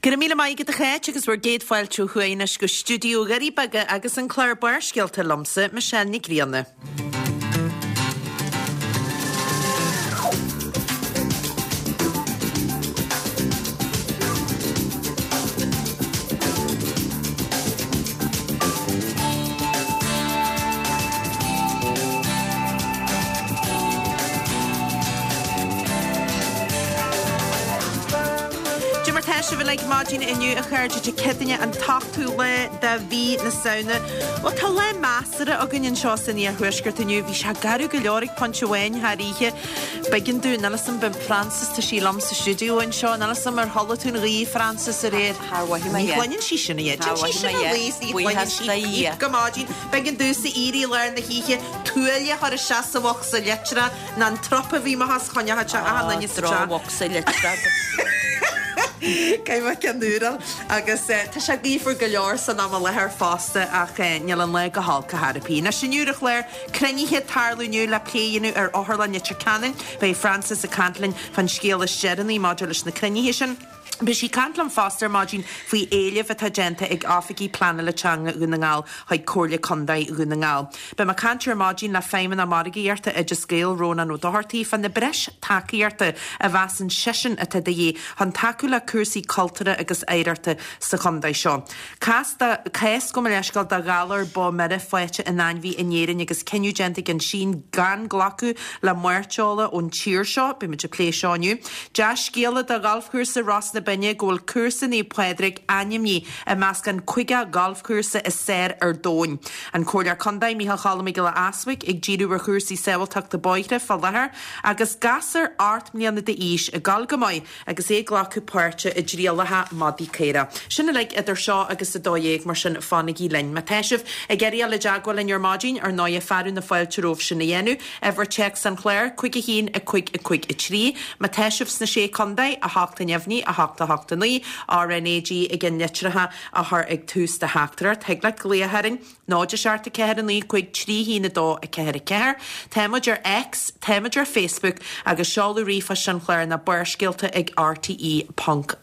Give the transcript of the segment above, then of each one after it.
Go raibh míle maith agat a Cháit agus bhur gcéad fáilte ó thuaidh anois go stiúideo Dhoirí Beaga agus an clár Barrscéalta liomsa, Michelle Nic Grianna. Dé mar tá sibh uilig maidin inniu a chairde Dé Céadaoine an t-ochtú lá de mhí na Samhna. Bhuel tá lá measartha againn anseo san iarthuaisceart inniu. Bhí sé garbh go leor ag pointe amháin thar oíche. B'éigean dúinn, níl 'fhios a'm, b'in Frances, tá sí liom sa stiúideo anseo, níl 'fhios a'm ar chodlaigh tú an ghaoth Frances aréir. Char mhothaigh mé Ní é. chluineann sí sin a Dhia. Char Déan sí mhothaigh sin mé a é. luí is ní chluineann Buíochas sí do píp Dhia. go maidin. B'éigean domhsa éirí i lár na hoíche, tuáille a chur isteach sa bhocsa litreach, ná an trup a bhí mo thos choinneochadh sé achan duine sa teach. Drochbhocsa litreach. Caithfidh mé ceann úr a fháil. Agus tá sé gaofar go leor san am i láthair fosta ach níl an lá go holc ar chor ar bith. Anois inniu ar an chlár, cruinnithe ag tarlú inniu le plé a dhéanamh ar Otharlann Leitir Ceanainn. Beidh Frances ag caint linn fán scéal is deireanaí maidir leis na cruinnithe sin. Beidh sí ag caint liom fosta ar maidin faoi éileamh atá déanta ag Oifigigh Pleanála Teanga Dhún na nGall chuig Comhairle Contae Dhún na nGall. Beidh mé ag caint ar maidin le Feidhmeannach Margaíochta Oideas Gael, Rónán Ó Dochartaigh, fá na breis tacaíochta a mheasann seisean atá de dhíth chun tacú le cúrsaí cultúrtha agus oidhreachta sa chontae seo. Cás de, cás, gabh mo leithscéal, de ghalar bó mire faighte in ainmhí in Éirinn agus cinneadh déanta ag an tSín gan glacadh le mairteola ón tír seo. Beidh muid ag plé seo inniu. Dea-scéala do ghalfchúrsa Ros na Binne go bhfuil cúrsa Naomh Pádraig ainmnithe i measc an 50 galfchúrsa is fearr ar domhan. An Comhairleoir Contae Micheál Cholm Mac Giolla Easbuig ag díriú ar chúrsaí sábháilteachta bóithre fá láthair agus gasúr 8 mbliana d'aois ag gabháil go maith agus é ag glacadh páirte i dtrialacha madaí caorach. Sin uilig idir seo agus 12, mar sin fanaigí linn. Má tá sibh ag iarraidh dul i dteagmháil linn ar maidin, ar ndóighe, fearadh na fáilte romhaibh sin a dhéanamh. Uimhir téacs an chláir, 5 1 5 5 3. Má tá sibh sna Sé Contae, 8 neamhní, 8 8 9, RnaG i gceann litreacha a chur ag tús do theachtaireacht. Thig leat glaoch orainn. 0 7 4 9 5 3 1 2 4 4. Tá muid ar X, tá muid ar Facebook agus seoladh ríomhphoist an chláir ná barrscéalta ag rte ponc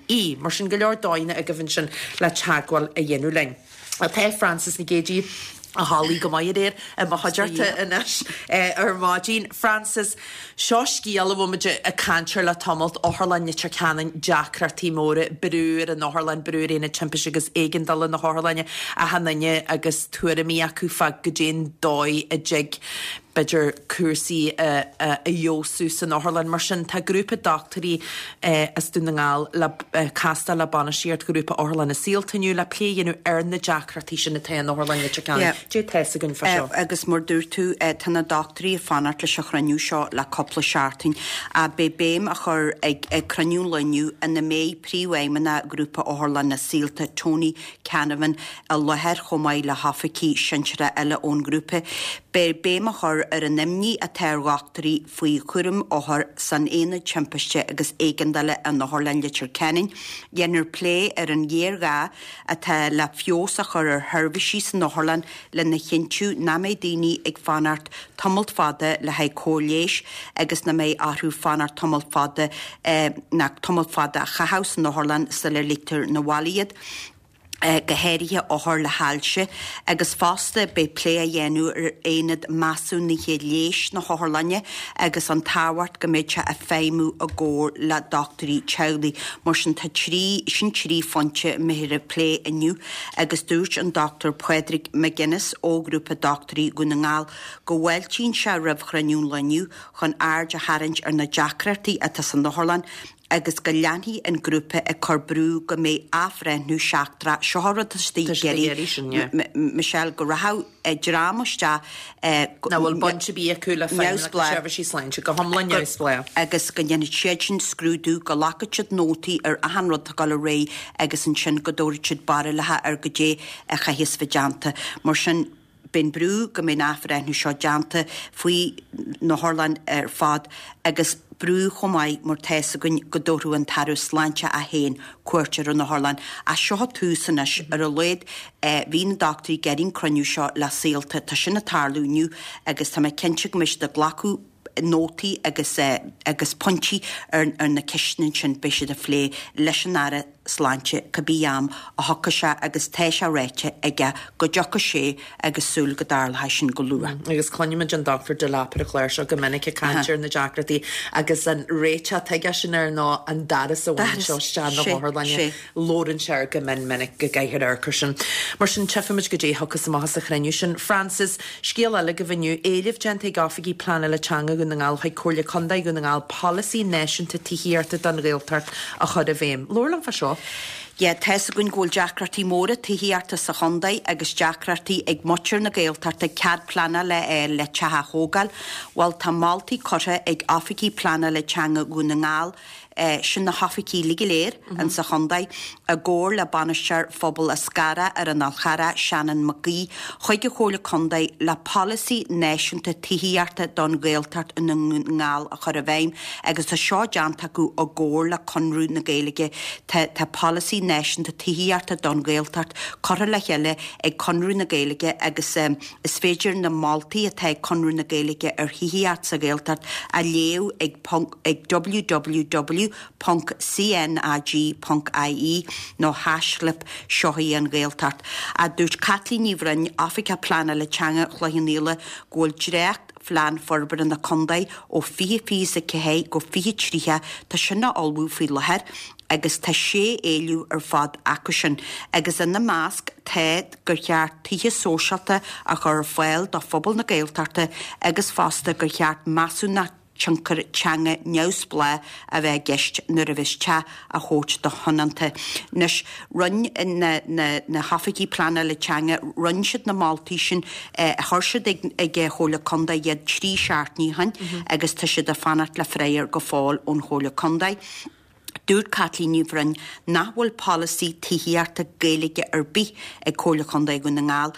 ie. Mar sin go leor dóigheanna agaibh ansin le teagmháil a dhéanamh linn. Tá Frances Nic Géadaigh a chodlaigh go maith aréir i mo chuideachta anois ar maidin. Frances, Seo scéal a bhfuil muid ag caint air le tamalt, Otharlann Leitir Ceanainn, deacrachtaí móra, brú ar an otharlann, brú ar Aonad Timpiste agus Éigeandála na hotharlainne, achan duine agus tuairimí acu fá goidé'n dóigh a dtig, b'fhéidir, cúrsaí a fheabhsú san otharlann. Mar sin, tá grúpa dochtúirí as Dún na nGall le castáil le bainistíocht Ghrúpa Otharlanna Saolta inniu le plé a dhéanamh ar na deacrachtaí sin atá in Otharlann Leitir Ceanainn. Dé tá fhios againn fá seo. Agus mar dúirt tú, tá na dochtúirí ag fanacht leis an chruinniú seo le cúpla seachtain. Beidh béim á chur ag cruinniú an lae inniu ina mbeidh Príomhfheidhmeannach Ghrúpa Otharlanna Saolta, Tony Canavan, i láthair chomh maith le hoifigigh sinsearacha eile ón ngrúpa. Beidh béim á chur ar an imní atá ar dhochtúirí faoi chúram othar san Aonad Timpiste agus Éigeandála in Otharlann Leitir Ceanainn. Déanfar plé ar an ghéarghá atá le feabhas a chur ar sheirbhísí san otharlann lena chinntiú nach mbeidh daoine ag fanacht tamalt fada le haghaidh cóir leighis agus nach mbeidh orthu fanacht tamalt fada ná tamalt fada a chaitheamh san otharlann sular ligtear 'na bhaile iad. go háirithe othair le hailse, agus fosta beidh plé á dhéanamh ar aonad measúnaithe leighis na hotharlainne agus an tábhacht go mbeidh sé ag feidhmiú i gcomhar le dochtúirí teaghlaigh. Mar sin tá trí, sin trí phointe a mbeifear ag plé inniu agus dúirt an Dr Pádraig McGuinness ó Ghrúpa Dochtúirí Dhún na nGall go bhfáiltíonn sé roimh chruinniú an lae inniu chun aird a tharraingt ar na deacrachtaí atá san otharlann agus go leanfaidh an grúpa ag cur brú go mbeidh athbhreithniú seachtrach, seo an rud atá siad ag iarraidh, Michelle, go rachadh dream isteach nach bhfuil baint ar bith acu le Feidhmeannacht na Seirbhísí Sláinte, go hiomlán neamhspleách. agus go ndéanfaidh siad sin scrúdú, go nglacfaidh siad nótaí ar achan rud atá ag dul ar aghaidh agus ansin go dtabharfaidh siad barúlacha ar goidé a chaithfeas bheith déanta. Mar sin. Beidh an brú go mbeidh an athbhreithniú seo déanta faoi na hotharlann ar fad agus brú chomh maith mar tá fhios againn go dtabharfadh an tAire Sláinte é féin cuairt ar an otharlann. Ach seo tús anois. Ar a laghad bhí na dochtúirí ag iarraidh an cruinniú seo le Saolta. Tá sin ag tarlú inniu agus tá mé cinnte go mbeidh siad ag glacadh nótaí agus agus pointí ar na ceisteanna ansin beidh siad a phlé leis an Aire. Sláinte cibé am a thiocfaidh sé agus tá sé ráite aige go dtiocfaidh sé agus súil go dtarlóidh sin go luath. Agus cluinimid an Dr Delap ar an chlár seo go minic ag caint ar na deacrachtaí agus an réiteach atá aigesean air ná an doras a bhaint ó isteach na hotharlainne. Labhrann sé air go mion minic go gcaithfear amharc air sin. Mar sin, tchífimid goidé a thiocfas amach as an chruinniú sin. Frances, Scéal eile agaibh inniu, éileamh déanta ag Oifigigh Pleanála Teanga Dhún na nGall chuig Comhairle Contae Dhún na Ngall polasaí náisiúnta tithíochta don Ghaeltacht a chur i bhfeidhm. Labhair liom fá seo. Yeah, tá's againn go bhfuil deacrachtaí móra tithíochta sa chontae agus deacrachtaí ag muintir na Gaeltachta cead pleanála a fháil le teach a thógáil. Bhuel, tá moltaí curtha ag Oifigigh Pleanála Teanga Dhún na nGall sin na hoifigí uilig go léir insa chontae, i gcomhar le Bainisteoir Phobal Eascarrach ar an Fhál Charrach, Seanán Mac Aoidh, chuig an Chomhairle Contae le polasaí náisiúnta tithíochta don Ghaeltacht i nDún na nGall a chur i bhfeidhm agus tá seo déanta acu i gcomhar le Conradh na Gaeilge. Tá tá polasaí náisiúnta tithíochta don Ghaeltacht curtha le chéile ag Conradh na Gaeilge agus is féidir na moltaí atá ag Conradh na Gaeilge ar thithíocht sa Ghaeltacht a léamh ag ag www.cnag.ie nó haischlib Seo í an Ghaeltacht. A dúirt Caitlín Ní Bhroin, Oifigeach Pleanála Teanga Chloich Cheann Fhaola, go bhfuil dréacht Phlean Forbartha na Contae ó 2024 go 2030, tá sin á ullmhú faoi láthair agus tá sé éileamh ar fad acu sin agus ina measc tá gur cheart tithe sóisialta a chur ar fáil do phobal na Gaeltachta agus fosta gur cheart measúnacht tionchar teanga neamhspleách a bheith i gceist nuair a bheas teach á thabhairt do thionónta. Anois, rinne na na na hoifigigh pleanála teanga, rinne siad na moltaí sin, chuir siad ag ag an Chomhairle Contae iad trí seachtainí ó shin agus tá siad ag fanacht le freagra go fóill ón Chomhairle Contae. Dúirt Caitlín Ní Bhroin nach bhfuil polasaí tithíochta Gaeilge ar bith ag Comhairle Chontae Dhún na nGall,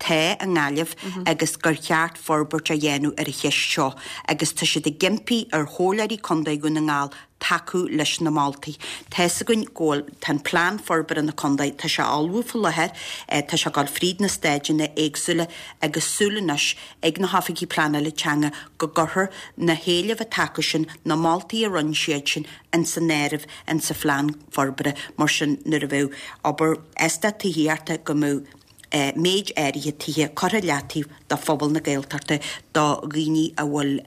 tá i nGaillimh, agus gur cheart forbairt a dhéanamh ar an cheist seo agus tá siad ag impí ar Chomhairleoirí Contae Dhún na nGall tacú leis na moltaí. Tá's againn go bhfuil, tá an Plean Forbartha na Contae, tá sé á ullmhú faoi láthair, tá sé ag dul fríd na stáideanna éagsúla agus súil anois ag na hoifigigh pleanála teanga go gcuirfear na héilimh atá acu sin, na moltaí a rinne siad sin, ins an áireamh ins an phlean forbartha. Mar sin, nuair a bheadh obair eastát tithíochta go mbeadh méid áirithe tithe curtha i leataobh do phobal na Gaeltachta, do dhaoine a bhfuil a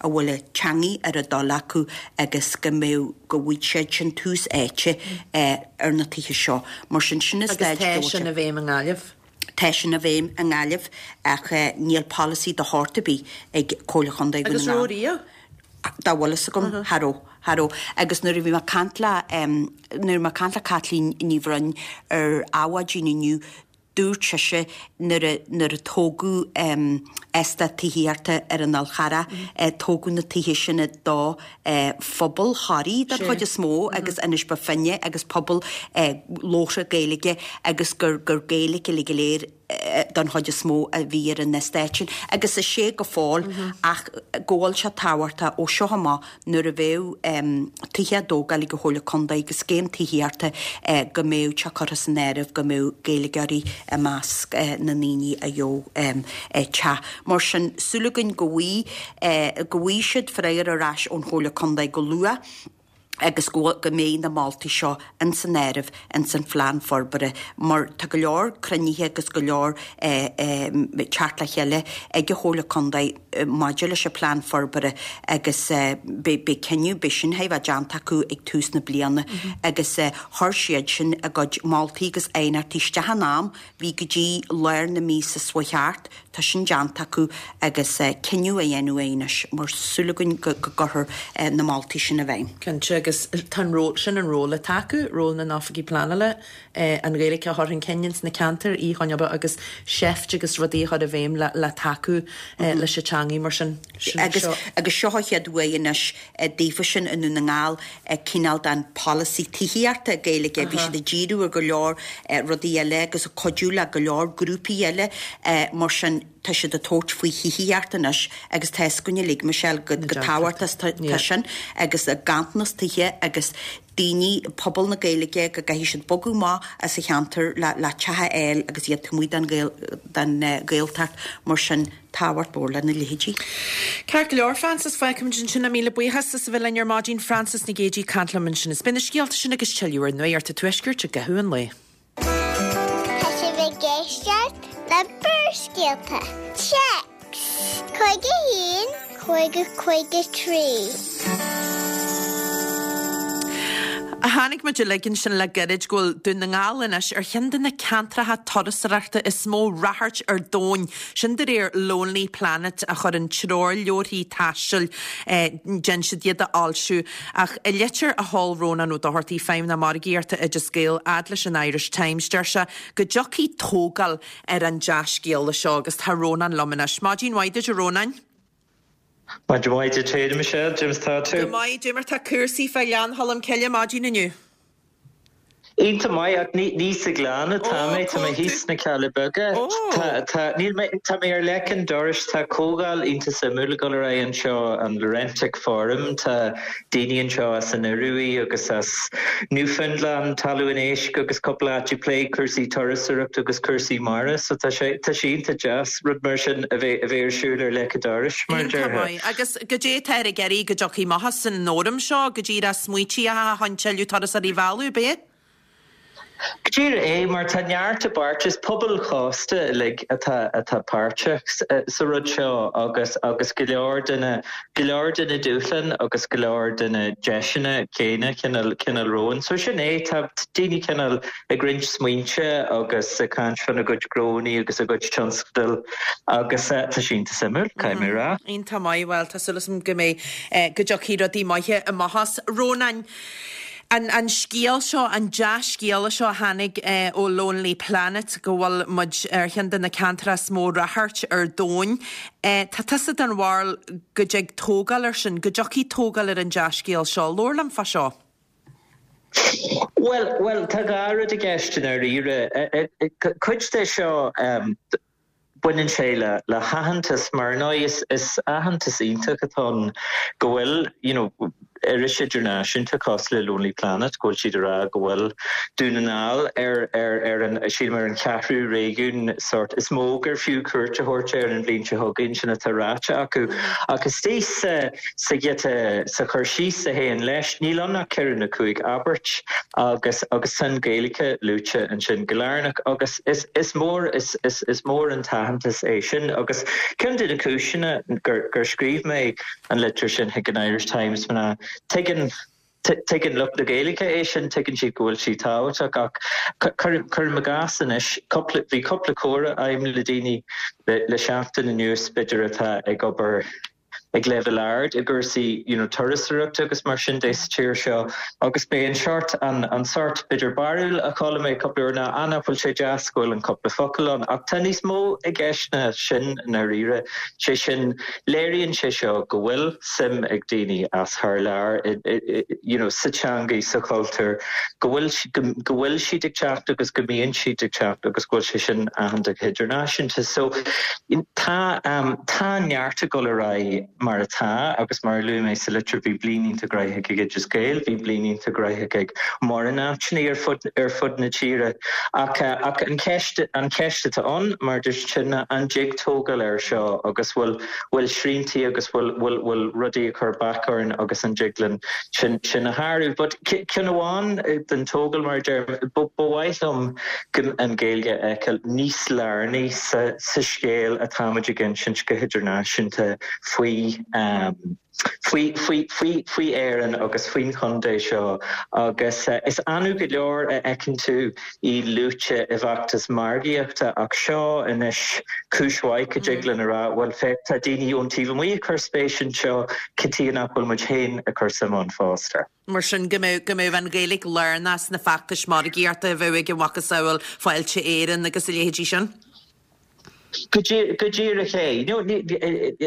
bhfuil an teangaidh ar a dtoil acu agus go mbeadh, go bhfaighidh siad sin tús áite ar na tithe seo. Mar sin, sin an staid Agus tá sin i bhfeidhm i nGaillimh? Tá sin i bhfeidhm i nGaillimh ach níl polasaí de shórt ar bith ag Comhairle Chontae Dhún na Ngall. Agus raibh riamh? Dá bhfuil fhios agam, cha raibh, cha raibh. Agus nuair a bhí mé ag caint le, nuair a bhí mé ag caint le Caitlín Ní Bhroin ar Adhmhaidin inniu, dúirt sise nuair a, nuair a tógadh eastát tithíochta ar an Fhál Charrach, tógadh na tithe sin do phobal Thoraí den chuid is mó agus Inis Bó Finne agus pobal labhartha Gaeilge agus gur gur Gaeilge uilig go léir don chuid is mó a bhí ar an eastát sin agus is é go fóill ach go bhfuil sé tábhachtach ó seo amach nuair a bheadh tithe á dtógáil ag an Chomhairle Contae agus scéim tithíochta go mbeadh sé curtha san áireamh go mbeadh Gaeilgeoirí i measc na ndaoine a gheobhadh teach. Mar sin, súil againn go bhfaighidh go bhfaighidh siad freagra ar ais ón Chomhairle Contae go luath agus go go mbeidh na moltaí seo ins an áireamh ins an phlean forbartha mar tá go leor cruinnithe agus go leor teacht le chéile ag an Chomhairle Contae maidir leis an phlean forbartha agus beidh beidh cinneadh, beidh sin chóir a bheith déanta acu ag tús na bliana agus chuir siad sin a gcuid moltaí agus aighneachtaí isteach in am, bhí go dtí lár na míosa seo chuaigh thart. Tá sin déanta acu agus cinneadh á dhéanamh anois mar súil againn go gcuirfear na moltaí sin i bhfeidhm. Cinnte, agus tá an ról, sin an ról atá acu, ról na n-oifigí pleanála, an Ghaeilge a chur chun cinn ins na ceantair, í a choinneáil agus seift agus rudaí a chur i bhfeidhm le tacú leis an teangaidh mar sin. Agus agus seo an chéad uair anois daofa sin i nDún na nGall cineál den pholasaí tithíochta Gaeilge. Bhí siad ag díriú ar go leor rudaí eile agus ag cuidiú le go leor grúpaí eile mar sin. tá siad ag tabhairt faoi thithíocht anois agus tá fhios againn uilig, Michelle, go tábhachtach atá sin agus ganntanas tithe agus daoine, pobal na Gaeilge, go gcaithfidh siad bogadh amach as an cheantar le le teach a fháil agus iad taobh amuigh den den Ghaeltacht, mar sin tábhacht mhór lena leithéidí. Ceart go leor, Frances, fágfaimid ansin é. Míle buíochas as a bheith linn ar maidin, Frances Nic Géadaigh ag caint liom ansin. Is beidh na scéalta sin agus tuilleadh ar Nuacht an Tuaiscirt i gcaitheamh an lae. Tá sibh ag éisteacht le Barrscéalta. Téacs 51 50 53. Chonaic muid uilig ansin le gairid go bhfuil Dún na nGall anois ar cheann de na ceantracha turasóireachta is mó ráchairt ar domhan. Sin de réir Lonely Planet a chuireann treoirleabharthaí taistil, déanann siad iad a fhoilsiú. Ach i litir a sheol Rónán Ó Dochartaigh, Feidhmeannach Margaíochta Oideas Gael, fhad leis an Irish Times, deir sé go dtiocfaidh tógáil ar an dea-scéala seo agus tá Rónán liom anois. Maidin mhaith duit a Rónáin. Maidin mhaith duit féin a Michelle, cad é mar atá tú? Go maith, cad é mar tá cúrsaí fá Ghleann Cholm Cille maidin inniu. Iontach maith, ach ní sa Ghleann atá mé, tá mé thíos sna Cealla Beaga. Tá, tá, níl mé, tá mé ar leic an dorais, tá comhdháil iontach suimiúil ag dul ar aghaidh anseo, an Laurentic Forum, tá daoine anseo as an Ioruaidh agus as Newfoundland, Talamh an Éisc agus cúpla áit ag plé cúrsaí turasóireachta agus cúrsaí mara, so tá sé, tá sé iontach deas rud mar sin a bheith, a bheith ar siúl ar leic an dorais, mar a Iontach déarfá. maith. Agus goidé atáthar ag iarraidh go dtiocfaidh amach as an fhóram seo, go díreach smaointí a chun tuilleadh turasóirí a mhealladh, ab é? Go díreach é, mar tá neart i bpáirt, is pobail chósta uilig atá atá páirteach sa rud seo agus agus go leor de na go leor de na dúshláin agus go leor de na deiseanna céanna cineál cineál romhainn. So sin é, tá daoine cineál ag roinnt smaointe agus ag caint fána gcuid gnónnaí agus a gcuid tionscadal agus tá sé iontach suimiúil, caithfidh mé a rá. Iontach maith, bhuel tá súil agam go mbeidh go dtiocfaidh rudaí maithe amach as. Rónán, An an scéal seo, an dea-scéala seo a tháinig ó Lonely Planet go bhfuil muid ar cheann de na ceantracha is mó ráchairt ar domhan, tá tusa den bharúil go dtig tógáil air sin, go dtiocfaidh tógáil ar an dea-scéal seo. Labhair liom fá seo. Bhuel, bhuel, tá dhá rud i gceist i ndáiríre. Cuid de seo, baineann sé le le haitheantas mar ar ndóigh is is aitheantas iontach atá ann go bhfuil you know iris idirnáisiúnta cosúil le Lonely Planet go bhfuil siad ag rá go bhfuil Dún na nGall ar ar ar an sílim ar an cheathrú réigiún sort is mó gur fiú cuairt a thabhairt air an bhliain seo chugainn sin atá ráite acu ach istigh sa Sa ghiota, sa chur síos a théann leis, níl ann ach ceithre nó cúig abairt agus agus tá an Ghaeilge luaite ansin go lárnach agus is is mór is is is mór an t-aitheantas é sin agus ceann de na cúiseanna gur gur scríobh mé an litir sin chuig an Irish Times ná tuigeann Tuigeann lucht na Gaeilge é sin, tuigeann siad go bhfuil sí tábhachtach ach cuirim i gcás anois, cúpla, bhí cúpla comhrá agam le daoine le seachtain anuas b'fhéidir atá ag obair ag leibhéal ard i gcúrsaí you know turasóireachta agus mar sin de sa tír seo agus b'é an seort, an, an sort b'fhéidir barúil a chuala mé cúpla uair ná ah nach bhfuil sé deas go bhfuil an cúpla focal ann ach tá níos mó i gceist ná sin i ndáiríre, sé sin léiríonn sé seo go bhfuil suim ag daoine as thar lear i, i, you know sa teangaidh, sa chultúr, go bhfuil, go, go bhfuil siad ag teacht agus go mbíonn siad ag teacht agus go bhfuil sé sin aitheanta go hidirnáisiúnta. So. Tá, tá neart ag dul ar aghaidh mar atá agus mar a luaigh mé sa litir bhí bliain iontach gnóthach ag Oideas Gael, bhí bliain iontach gnóthach ag mórán áiteanna ar fud, ar fud na tíre ach, ach an cheist, an cheist atá ann mar a dúirt sin ná an dtig tógáil air seo agus bhfuil, bhfuil sriantaí agus bhfuil, bhfuil, bhfuil rudaí ag cur bac orainn agus an dtig linn sin, sin a shárú. But ceann amháin den tógáil mar a deirim, ba, ba mhaith liom go an Ghaeilge a fheiceáil níos lárnaí sa scéal atáimid ag insint go hidirnáisiúnta faoi faoi faoi faoi faoi Éirinn agus faoin chontae seo agus is annamh go leor a fheiceann tú í luaite i bhfeachtas margaíochta ach seo anois cúis mhaith go dtig linn a rá bhuel féach tá daoine ón taobh amuigh ag cur spéis anseo cad chuige nach bhfuil muid féin ag cur suim ann fosta. Mar sin, go mbeadh, go mbeadh an Ghaeilge lárnach sna feachtais margaíochta a bheadh ag a mhacasamhail Fáilte Éireann agus a leithéidí sin. Go díreach é.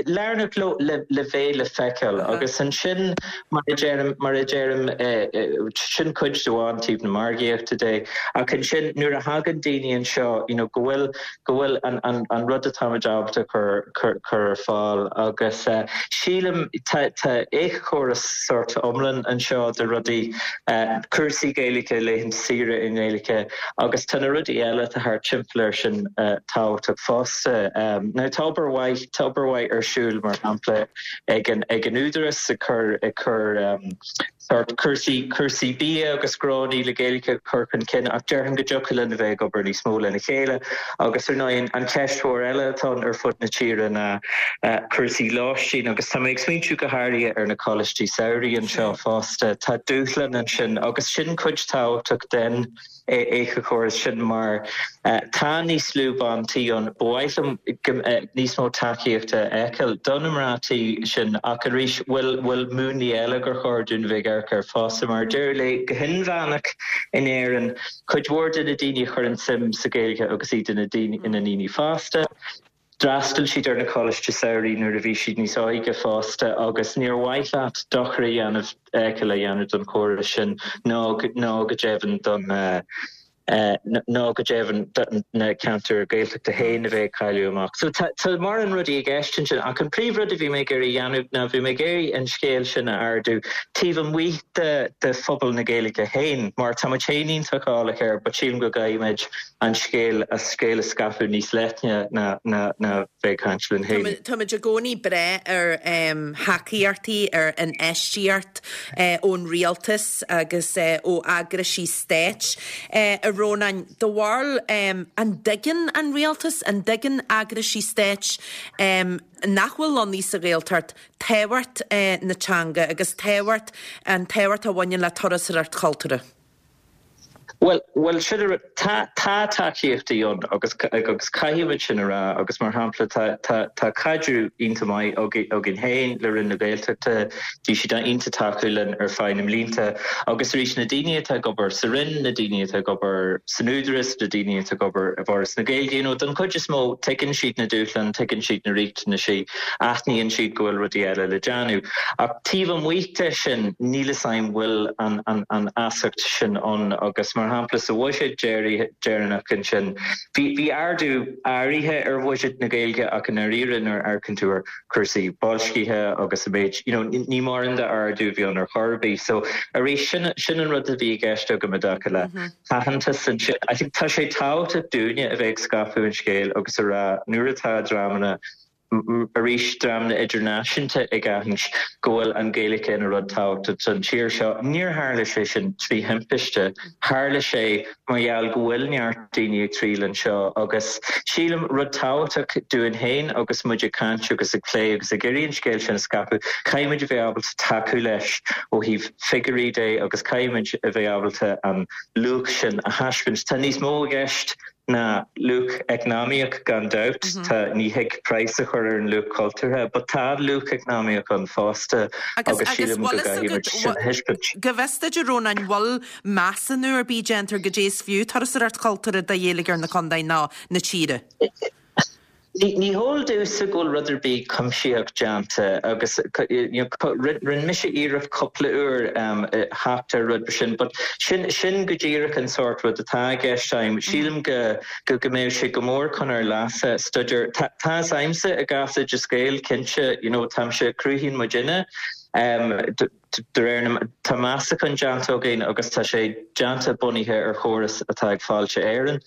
Lárnach le bheith le feiceáil agus ansin mar a deirim, mar a deirim, sin cuid de amháin taobh na margaíochta de ach ansin nuair a thagann daoine anseo you know go bhfuil, go bhfuil an rud atáimid ábalta cur cur ar fáil agus sílim tá tá éiceachóras sórt iomlán anseo de rudaí, cúrsaí Gaeilge, laethanta saoire i nGaeilge agus tá na rudaí eile atá thart timpeall air sin tábhachtach fosta. Now tá obair mhaith, tá obair mhaith ar siúl mar shampla ag an ag an Údarás ag cur ag cur sórt cúrsaí cúrsaí bia agus gnónna le Gaeilge a chur chun cinn ach déarfainn go dtiocfadh linn a bheith ag obair níos mó lena chéile agus ar ndóigh an cheist mhór eile atá ann ar fud na tíre ná cúrsaí lóistín agus tá mé ag smaointiú go háirithe ar na coláistí samhraidh anseo fosta. Tá dúshlán ansin agus sin cuid tábhachtach den éiceachóras sin mar tá níos lú ban tí ann. Ba mhaith liom níos mó tacaíochta a fheiceáil do na mná tí sin ach arís bhfuil bhfuil múnlaí eile gur chóir dúinn a bheith ag amharc air fosta mar deireadh lae go hinmheánach in Éirinn cuid mhór de na daoine a chuireann suim sa Ghaeilge agus iad ina ndaoine fásta. D'fhreastail siad ar na coláistí samhraidh nuair a bhí siad níos óige fosta agus níor mhaith leat dochar a dhéanamh a dhéanamh don chóras sin ná ná go deimhin don ná go deimhin do na ceantair Ghaeltachta féin a bheith ag cailleadh amach. So tá tá mórán rudaí i gceist ansin ach an príomhrud a bhí mé ag iarraidh a dhéanamh ná bhí mé ag iarraidh an scéal sin a ardú taobh amuigh de de phobal na Gaeilge féin mar tá muid féin iontach eolach air but sílim go gcaithfimid an scéal a scéal a scaipeadh níos leithne ná ná ná bheith ag caint linn féin. Táimid i gcónaí breá ar thacaíochtaí, ar infheistíocht ón rialtas agus ó eagraisí stáit. A Rónáin, do bharúil, an dtuigeann an rialtas, an dtuigeann eagraisí stáit nach bhfuil lonnaithe sa Ghaeltacht tábhacht na teanga agus tábhacht, an tábhacht a bhaineann le turasóireacht chultúrtha? Bhuel, bhuel, sin an rud. Tá, tá tacaíochtaí ann agus, agus caithfimid sin a rá agus mar shampla tá, tá, tá caidreamh iontach maith againn féin le Roinn na Gaeltachta, bhí siad iontach tacúil linn ar feadh na mblianta agus arís na daoine atá ag obair sa Roinn, na daoine atá ag obair san Údarás, na daoine atá ag obair i bhForas na Gaeilge, you know, don chuid is mó tuigeann siad na dúshláin, tuigeann siad na riachtanaisí, aithníonn siad go bhfuil rudaí eile le déanamh. Ach taobh amuigh de sin níl fhios a'm bhfuil an, an, an fheasacht sin ann agus mar shampla sa bhuiséad deireanach ansin bhí bhí ardú áirithe ar bhuiséad na Gaeilge ach i ndáiríre nuair a amharcann tú ar chúrsaí boilscithe agus an méid you know ní mórán d'ardú a bhí ann ar chor ar bith. So arís sin sin an rud a bhí i gceist agam i dtaca le haitheantas ansin. I think tá sé tábhachtach dúinne a bheith ag scaipeadh an scéil agus a rá nuair atá dreamanna arís dreamanna idirnáisiúnta ag aithint go bhfuil an Ghaeilge ina rud tábhachtach don tír seo. Níor tharla sé sin trí thimpiste, tharla sé mar gheall go bhfuil neart daoine ag triall anseo agus sílim rud tábhachtach dúinn féin agus muid ag caint agus ag plé agus ag iarraidh an scéal sin a scaipeadh, caithfimid a bheith ábalta tacú leis ó thaobh figiúirí de agus caithfimid a bheith ábalta an luach sin a thaispeáint. Tá níos mó i gceist ná luach eacnamaíoch gan dabht, tá, ní thig praghas a chur ar an luach cultúrtha, but tá luach eacnamaíoch ann fosta agus sílim go gcaithfimid sin a thaispeáint. Go bhfios duit, a Rónáin, bhfuil measúnú ar bith déanta ar goidé is fiú turasóireacht chultúrtha do gheilleagar na contae ná na tíre? Ní heol domhsa go bhfuil rud ar bith cuimsitheach déanta agus rinne mise iarracht cúpla uair theacht ar rud mar sin but sin sin go díreach an sórt rud atá i gceist agam. Sílim go go go mbeadh sé go mór chun ár leasa staidéar tá tá fhios agamsa i gcás Oideas Gael cinnte you know táimse cruthaíonn muidinne de réir na tá meastachán déanta againn agus tá sé déanta bunaithe ar chóras atá ag Fáilte Éireann.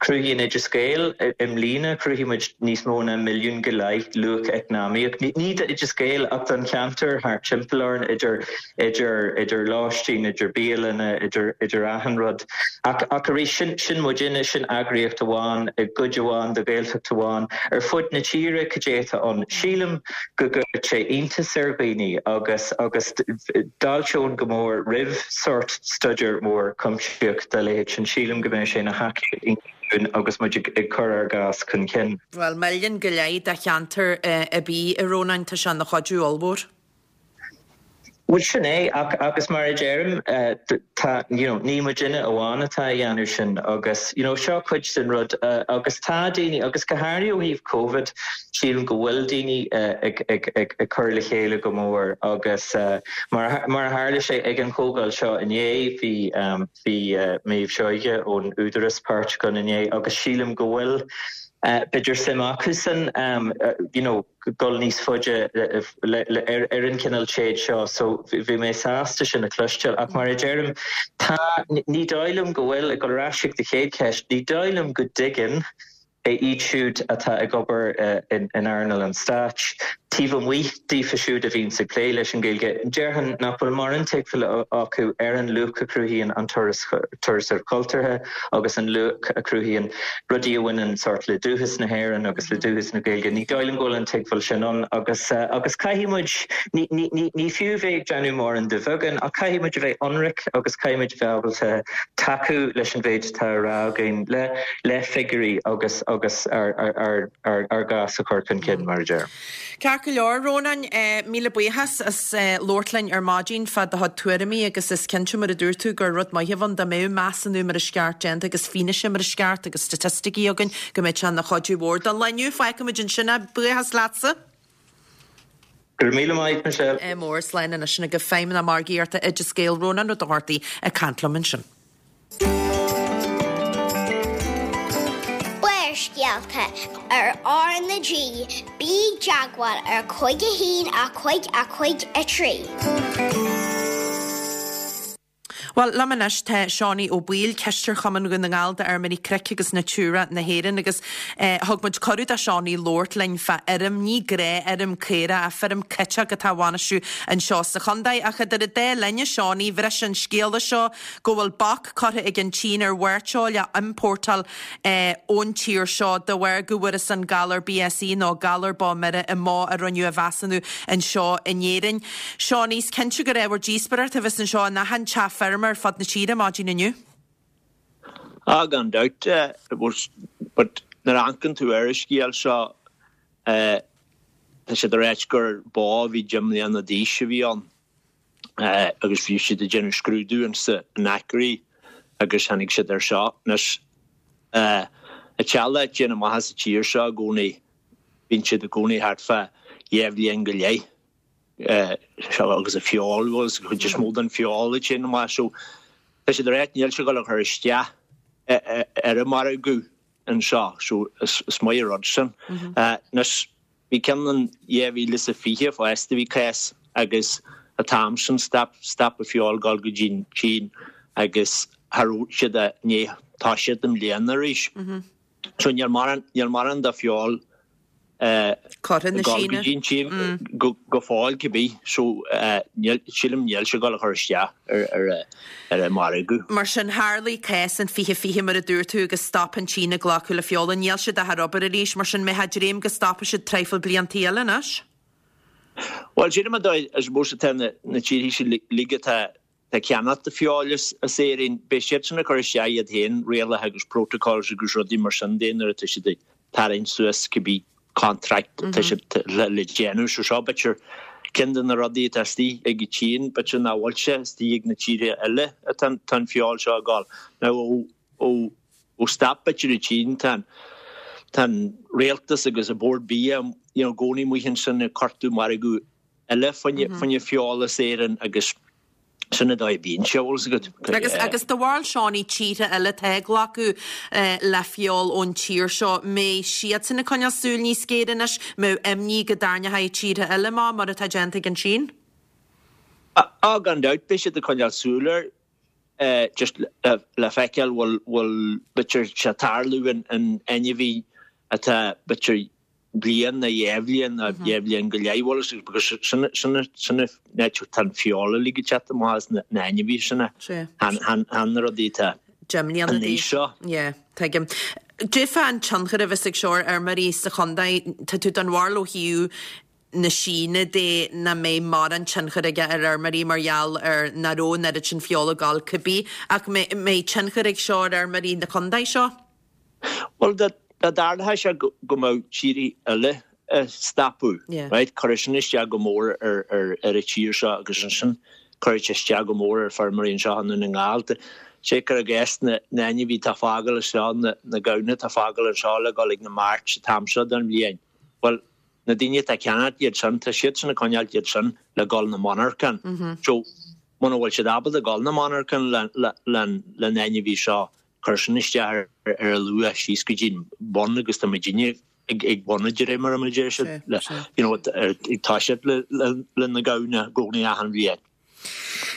Cruthaíonn Oideas Gael i mbliana, chruthaigh muid níos mó ná milliún go leith luach eacnamaíoch, ní d'Oideas Gael ach don cheantar thart timpeall orainn, idir, idir, idir lóistín, idir bialanna, idir, idir achan rud. Ach, ach arís, sin, sin muidinne, sin eagraíocht amháin i gcuid amháin de Ghaeltacht amháin. Ar fud na tíre, cad é atá ann? Sílim go gcuirfeadh sé iontas ar dhaoine agus, agus d'fháilteoinn go mór roimh sórt staidéar mór cuimsitheach dá leithéid sin. Sílim go mbeadh sé ina thacaíocht iontach dúinn agus muid ag cur ár gcás chun cinn. Bhuel, milliún go leith do cheantar ar bith, a Rónáin, tá sé ina chuidiú ollmhór. Bhuel, sin é, ach agus mar a deirim, tá, you know, ní muidinne amháin atá a dhéanamh sin agus, you know, seo cuid den rud agus tá daoine, agus go háirithe ó thaobh Covid, sílim go bhfuil daoine ag, ag, ag, ag cur le chéile go mór agus mar, mar a tharla sé ag an chomhdháil seo inné, bhí, bhí Méabh Seoighe ón Údarás páirteach ann inné agus sílim go bhfuil, b'fhéidir suim acusan, you know, dul níos faide ar an chineál téid seo so bhí mé sásta sin a chloisteáil. Ach mar a deirim, tá, ní dóigh liom go bhfuil, ag dul ar ais ag do chéad cheist, ní dóigh liom go dtuigeann iad siúd atá ag obair in earnáil an stáit, taobh amuigh daofa siúd a bhíonns ag plé leis an Ghaeilge, déarfainn nach bhfuil mórán tuigbheála acu ar an luach a chruthaíonn an turasóireacht chultúrtha agus an luach a chruthaíonn rudaí a bhaineann sórt le dúchas na hÉireann agus le dúchas na Gaeilge. Ní dóigh liom go bhfuil an tuigbheáil sin ann agus agus caithfidh muid, ní, ní, ní, ní fiú bheith ag déanamh mórán de bheagán ach caithfidh muid a bheith ionraic agus caithfidh muid a bheith ábalta tacú leis an mhéid atá á rá againn le, le figiúirí agus, agus ár, ár, ár, ár, ár gcás a chur chun cinn, mar a deirim. Ceart go leor, Rónáin, míle buíochas as labhairt linn ar maidin fá do chuid tuairimí agus is cinnte, mar a dúirt tú, gur rud maith a bheadh ann dá mbeadh measúnú mar is ceart déanta agus fianaise mar is ceart agus staitisticí againn go mbeadh sé ina chuidiú mhór don lá inniu. Fágfaimid ansin é. Buíochas leatsa. Go raibh míle maith, Michelle. Ádh mór. Slán anois sin agaibh Feidhmeannach Margaíochta Oideas Gael, Rónán Ó Dochartaigh ag caint liom ansin. Barrscéalta ar R na G, bí i dteagmháil ar 5 1 5 5 3. Bhuel, liom anois tá Seánie Ó Baoill, Cisteoir Chumann Dhún na nGall d'Fheirmeoirí Cnoic agus Natura na hÉireann agus thug muid cuireadh do Seánie labhairt linn fá fheirm, ní gnáthfheirm caorach ach feirm citeach atá á bhainistiú anseo sa chontae. Ach idir an dá linn, a Seánie, bhris an scéala seo go bhfuil bac curtha ag an tSín ar mhairteoil a iompórtáil ón tír seo de bharr go bhfuarthas an galar BSE nó galar bó mire i mbó a rinneadh a mheasúnú anseo in Éirinn. Seánie, is cinnte gur ábhar díospóireachta a bheas anseo in achan teach feirme ar fud na tíre maidin inniu. Ah, gan dabht, but nuair a amharcann tú ar an scéal seo, tá siad ag ráit gur bó a bhí deich mbliana d'aois a bhí ann. agus bhí siad ag déanamh scrúdú insa in ACRI agus tháinig siad ar seo. Anois, an teallach ag déanamh amach sa tír seo i gcónaí, bíonn siad i gcónaí thart fá dhá bhliain go leith agus an feoil, bhuel, is cuid is mó den feoil ag déanamh amach so tá siad ag ráit níl sé ag dul a chur isteach ar an margadh anseo so is maith an rud sin. Anois, Bhí ceann in 2020 fosta, bhí cás agus an t-am sin stop stop an feoil ag dul go dtí an tSín agus cha raibh siad i ndiaidh toiseacht i mbliana arís. So níl mórán níl mórán de feoil Curtha na ag dul go Síne. dtí an tSín go go fóill cibé. So níl sílim níl sé ag dul a chur isteach ar ar ar an margadh. Mar sin, tharlaigh cás in 2020, mar a dúirt tú, agus stop an tSín ag glacadh le feoil. Níl siad ach ar obair arís, mar sin, mbeifeá ag dréim go stopfaidh siad traidhfil bliantaí eile anois? Bhuel, sílim an dóigh is mó atá na tíortha sin uilig atá ag ceannacht feoil as Éirinn, beidh siadsan ag cur isteach iad féin rialacha agus protocols agus rudaí mar sin de nuair atá siad ag tarraingt suas cibé contract atá siad le déanamh. So seo b'fhéidir ceann de na rudaí atá istigh ag an tSín, b'fhéidir nach bhfuil sé istigh ag na tíortha eile atá an feoil seo ag dul. Now ó ó stop b'fhéidir an tSín tá an tá an rialtas agus an Bord Bia you know i gcónaí amuigh ansin ag cuartú margadh eile fá choinne feoil as Éirinn agus Sin an dóigh a bíonn sé, bhfuil fhios agat. Agus, agus do bharúil Seánie, tíortha eile atá ag glacadh le feoil ón tír seo, mbeidh siadsan ag coinneáil súil níos géire anois, mbeidh imní go dtarraingeoidh tíortha eile amach mar atá déanta ag an tSín? Á, gan dabht, beidh siad ag coinneáil súil air, just le feiceáil bhfuil, bhfuil, b'fhéidir sé tarlú in ainmhí atá, b'fhéidir, bliain nó dhá bhliain nó dhá bhliain go leith bhfuil fhios agat because sin sin sin an áit tá an feoil uilig ag teacht amach as na na ainmhithe sin chan chan chan na rudaí atá 10 mbliana an d'aois. aois seo. Yeah, tuigim. Cad é fán tionchar a bheas ag seo ar fheirmeoirí sa chontae, tá tú den bharúil ó thaobh na Síne de nach mbeidh mórán tionchar aige ar fheirmeoirí mar gheall ar nach raibh an oiread sin feola ag dul cibé ach mbeidh tionchar ag seo ar fheirmeoirí na contae seo? Bhuel, dá dtarlódh sé go mbeadh tíortha eile. a stopadh, right? Cuirfidh sin isteach go mór ar ar ar an tír seo agus ansin cuirfidh sé isteach go mór ar feirmeoirí anseo i nDún na nGall. Sé cur i gcás na na ainmhithe atá fágáil anseo, na na gamhna atá fágáil anseo le dhul ag na marts an t-am seo den bhliain. Bhuel, na daoine atá ag ceannacht iad sin, tá siadsan ag coinneáilt iad sin le dhul na monarchan. So, muna bhfuil siad ábalta dhul na monarchan le le le le na ainmhithe seo, Cuir sin isteach ar a luach síos go dtí'n bun agus tá muidinne ag bun an dréimire mar a deir siad le you know ag toiseacht le le na gamhna i gcónaí achan bhliain.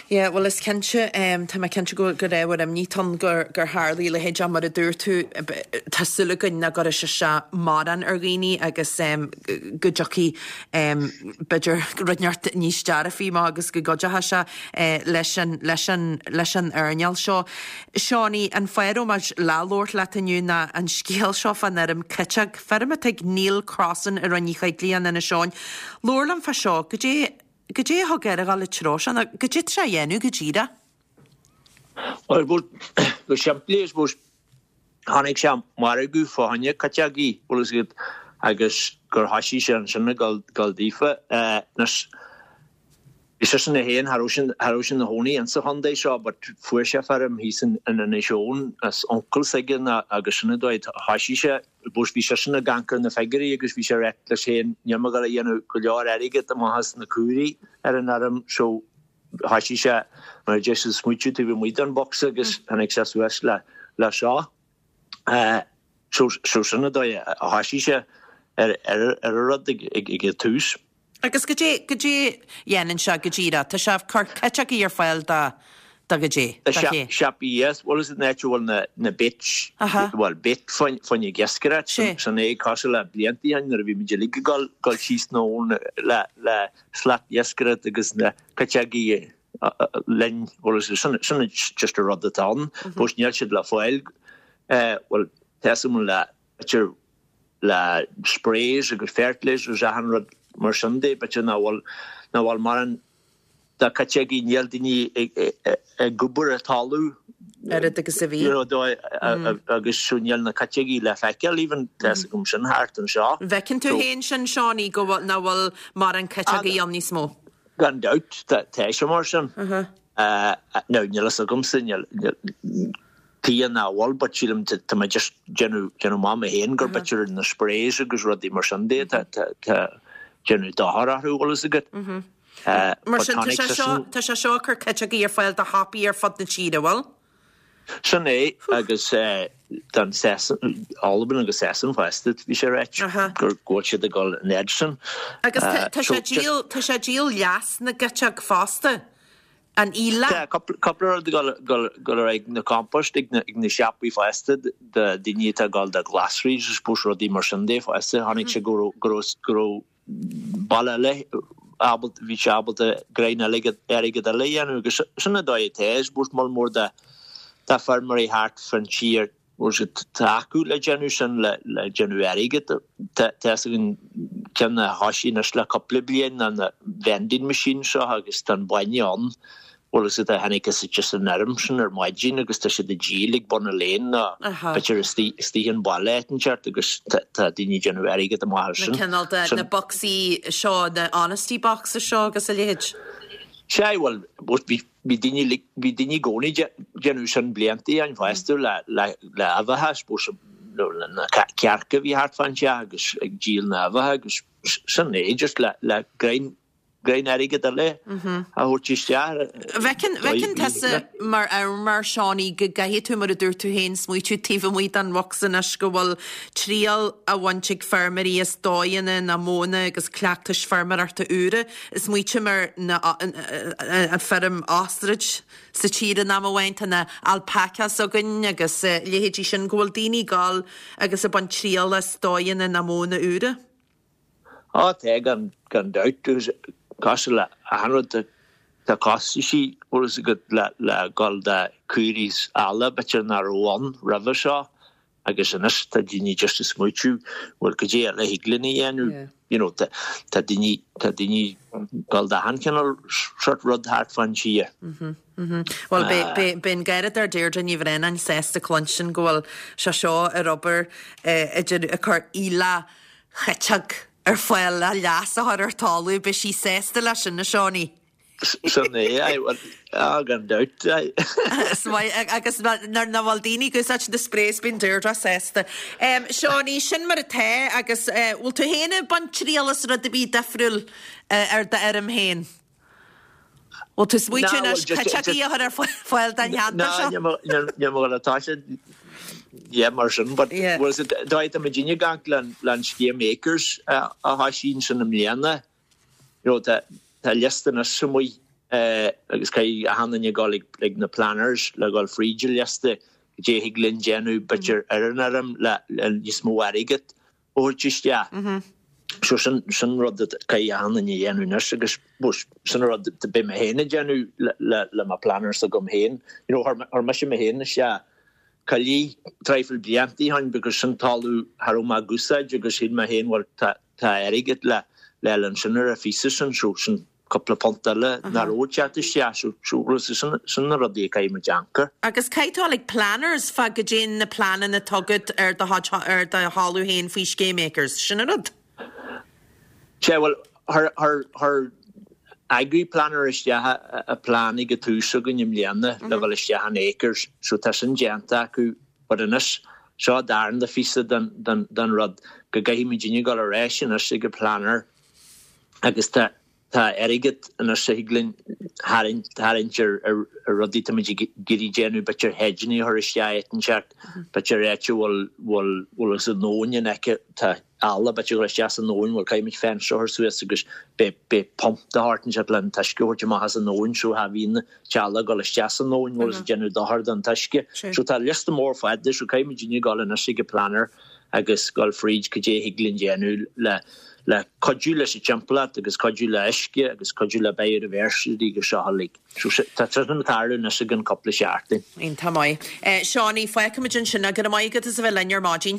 Yeah, bhuel is cinnte, tá mé cinnte go gur ábhar imní atá ann gur gur tharlaigh a leithéid ach mar a dúirt tú tá súil againn nach gcuirfidh sé seo mórán ar dhaoine agus go dtiocfaidh b'fhéidir rud inteacht níos dearfaí amach agus go gcuideoidh sé leis an leis an leis an earnáil seo. Seánie, an fáth a raibh muid le labhairt leat inniu ná an scéal seo fán fheirm citeog, feirm atá ag Neil Crossan i Rinn Uí Choigligh in Inis Eoghain. Labhair liom fá seo, goidé, goidé a thug air a dhul an treo seo, nó goidé atá sé a dhéanamh go díreach? Bhuel, go simplí, I suppose, chonaic sé margadh fá choinne citeogaí, bhfuil fhios agat, agus gur thoisigh sé ansin ag dul, dul daofa. Anois, Bhí seisean é féin, cha raibh sé, cha raibh sé ina chónaí insa chontae seo but fuair sé feirm thíos in Inis Eoghain as uncail s'aige agus sin an dóigh a thoisigh sé. But bhí seisean ag amharc ar na figiúirí agus bhí sé ag ráit leis féin níl mé ag dul a dhéanamh go leor airgead amach as na caoirigh ar an fheirm so thoisigh sé mar a deir siad smaoitiú taobh amuigh den bhocsa agus tháinig sé suas le le seo. So so sin an dóigh a thoisigh sé ar ar ar an rud ag ag ag an tús. Agus goidé, goidé dhéanann sé go díreach? Tá sé ag cur citeogaí ar fáil do, do goidé, do ché? Siopaí, yes. Bhuel is an áit a bhfuil na, na baits, bhuel bait fá choinne ag iascaireacht, sin é, cosúil le blianta ó shin nuair a bhí muid uilig ag dul, dul síos an abhainn le, le slat iascaireacht agus na citeogaí linn, bhuel is sin, sin just an rud atá ann. But níl siad le fáil, bhuel, tá a fhios agam le, b'fhéidir le sprays agus fertilisers achan rud mar sin de, b'fhéidir nach bhfuil, nach bhfuil mórán de citeogaí, níl daoine ag obair ar talamh oiread agus a bhí. You know, agus so níl na citeogaí le feiceáil even, tá fhios agam sin thart anseo. An bhfeiceann tú féin sin, Seánie, go bhfuil, nach bhfuil mórán citeogaí ann níos mó? Gan dabht, tá sé mar sin. Now, níl fhios agamsa, níl, tuige nach bhfuil but sílim tá mé just déanamh déanamh amach mé féin gur b'fhéidir na sprays agus rudaí mar sin de tá tá tá déanamh dochar orthu bhfuil fhios agat. Mar sin tá sé seo tá sé seo ag cur citeogaí ar fáil do shiopaí ar fud na tíre, bhfuil? Sin é agus don Sasain, Albain agus Sasain fosta bhí sé ráite gur go bhfuil siad ag dul an fhad sin. Agus tá sé díol tá sé díol leas na gciteog fosta. An íle. Tá cúpla rud ag dul ar aghaidh na compost ag na siopaí fosta do daoine atá ag dul do ghlasraí I suppose rudaí mar sin de fosta. Chonaic sé go raibh go raibh go raibh baile eile ábalta bhí sé ábalta greim airgead airgead eile a dhéanamh agus sin an dóigh atá I suppose moll mór de de feirmeoirí thart fán tír bhfuil siad tá acu le déanamh sin le le déanamh airgid. Tá fhios againn ceann a thoisigh anois le cúpla bliain ná na vending machines seo agus tá an bainne ann bhfuil fhios agat a tháinig as just an fheirm sin ar maidin agus tá siad ag díol ag bun an lane nó b'fhéidir istigh istigh an baile áit inteacht agus tá tá daoine ag déanamh airgead amach as sin. Na cineál de na bocsaí seo na honesty boxes seo agus a leithéid. Sea bhuel bhí Bhí daoine like bhí daoine i gcónaí déanamh sin blianta ó shin fosta le le le uibheacha I suppose nó le na cearca a bhí thart fán teach agus ag díol na n-uibheacha agus sin é just le le greim greim airgead eile a thabhairt isteach. Bhfeiceann bhfeiceann tusa mar fheirmeoir Seánie go gcaithfidh tú mar a dúirt tú féin smaoitiú taobh amuigh den bhocsa anois go bhfuil triail á bhaint ag feirmeoirí as dóigheanna nó modhanna agus cleachtais feirmeoireachta úra Smaoitím ar na an feirm ostrach sa tír in am amháin, tá na alpacas againn agus leithéidí sin, go bhfuil daoine ag gabháil agus ag baint triail as dóigheanna nó modhanna úra. Á tá, gan gan dabht. Agus cosúil le achan rud tá costaisí, bhfuil fhios agat, le le dhul do caoirigh is eala b'fhéidir nach raibh ann roimhe seo. Agus anois tá daoine just ag smaoitiú, bhuel cad é eile a thig linn a dhéanamh, you know, tá daoine, tá daoine ag dul d'achan chineál sort rud thart fán tír. Bhuel, beidh an Garradóir Deirdre Ní Bhraonáin sásta cluinstin go bhfuil sé seo ar obair idir ag cur aoileach chiteog. Ar fáil le leas a chur ar talamh, beidh sí sásta leis sin, a Seánie. Sin é, aye, well, ah, gan dabht, aye. Is maith, agus nuair nach bhfuil daoine ag úsáid na sprays bíonn Deirdre sásta. Seánie, sin mar atá, agus bhfuil tú féin ag baint triail as rud ar bith difriúil ar d'fheirm féin? Bhfuil tú ag smaoitiú anois cuiteachaí a chur ar fáil don cheantar seo? Ná, níl mé ag dul tá sé, yeah, mar sin, but bhfuil a fhios agat, tá muidinne ag amharc le an scéim Acres a thosaigh ansin i mbliana, you know, tá tá liosta anois amuigh agus caithfidh achan duine dul ag na planners le dhul fríd an liosta, goidé a thig linn déanamh b'fhéidir ar an fheirm le níos mó airgead a thabhairt isteach. So sin sin rud a caithfidh achan duine a dhéanamh anois agus sin an rud a beidh mé féin ag déanamh le le mo planners agam féin. You know, chuir mise mé féin isteach coillidh traidhfil blianta ó shin because sin talamh cha raibh mé ag úsáid agus shíl mé féin bhuel tá tá airgead le le fháil ansin ar an phíosa sin so sin cúpla punt eile nach raibh ag teacht isteach so so sin sin na rudaí a caithfidh muid amharc air. Agus caithfidh tú dul ag planners fá goidé na pleananna atá agat ar do chuid ar do thalamh féin faoi scéim Acres, sin an rud? Sea, bhuel, chuir, chuir, chuir Agriplanner isteach a plean ag an tús againn i mbliana le dhul isteach in Acres, so tá sin déanta acu, but anois, seo an darna phíosa den, den, den rud, go gcaithfidh muidinne dhul ar ais anois ag an planner agus tá, Tá airgead anois a thig linn tharraingt tarraingt ar ar rudaí tá muid ag iarraidh déanamh, b'fhéidir hedgeanna a chur isteach áit inteacht, b'fhéidir áit a bhfuil bhfuil bhfuil is an abhainn in aice, tá eala b'fhéidir ag dul isteach san abhainn, bhuel caithfidh muid fence a chur suas agus beidh beidh pump de shórt inteacht le an t-uisce a thabhairt amach as an abhainn so cha bhíonn an t-eala ag dul isteach san abhainn bhfuil is ag déanamh dochar don t-uisce. So tá liosta mór fada so caithfidh muidinne dul anois ag an planner agus dul fríd cad é a thig linn déanamh le le cuidiú leis an timpeallacht agus cuidiú le uisce agus cuidiú le biodiversity agus seo uilig. So tá sin ag tarlú anois i gcionn cúpla seachtain. Iontach maith. Seánie, fágfaimid ansin é. Go raibh maith agat as a bheith linn ar maidin.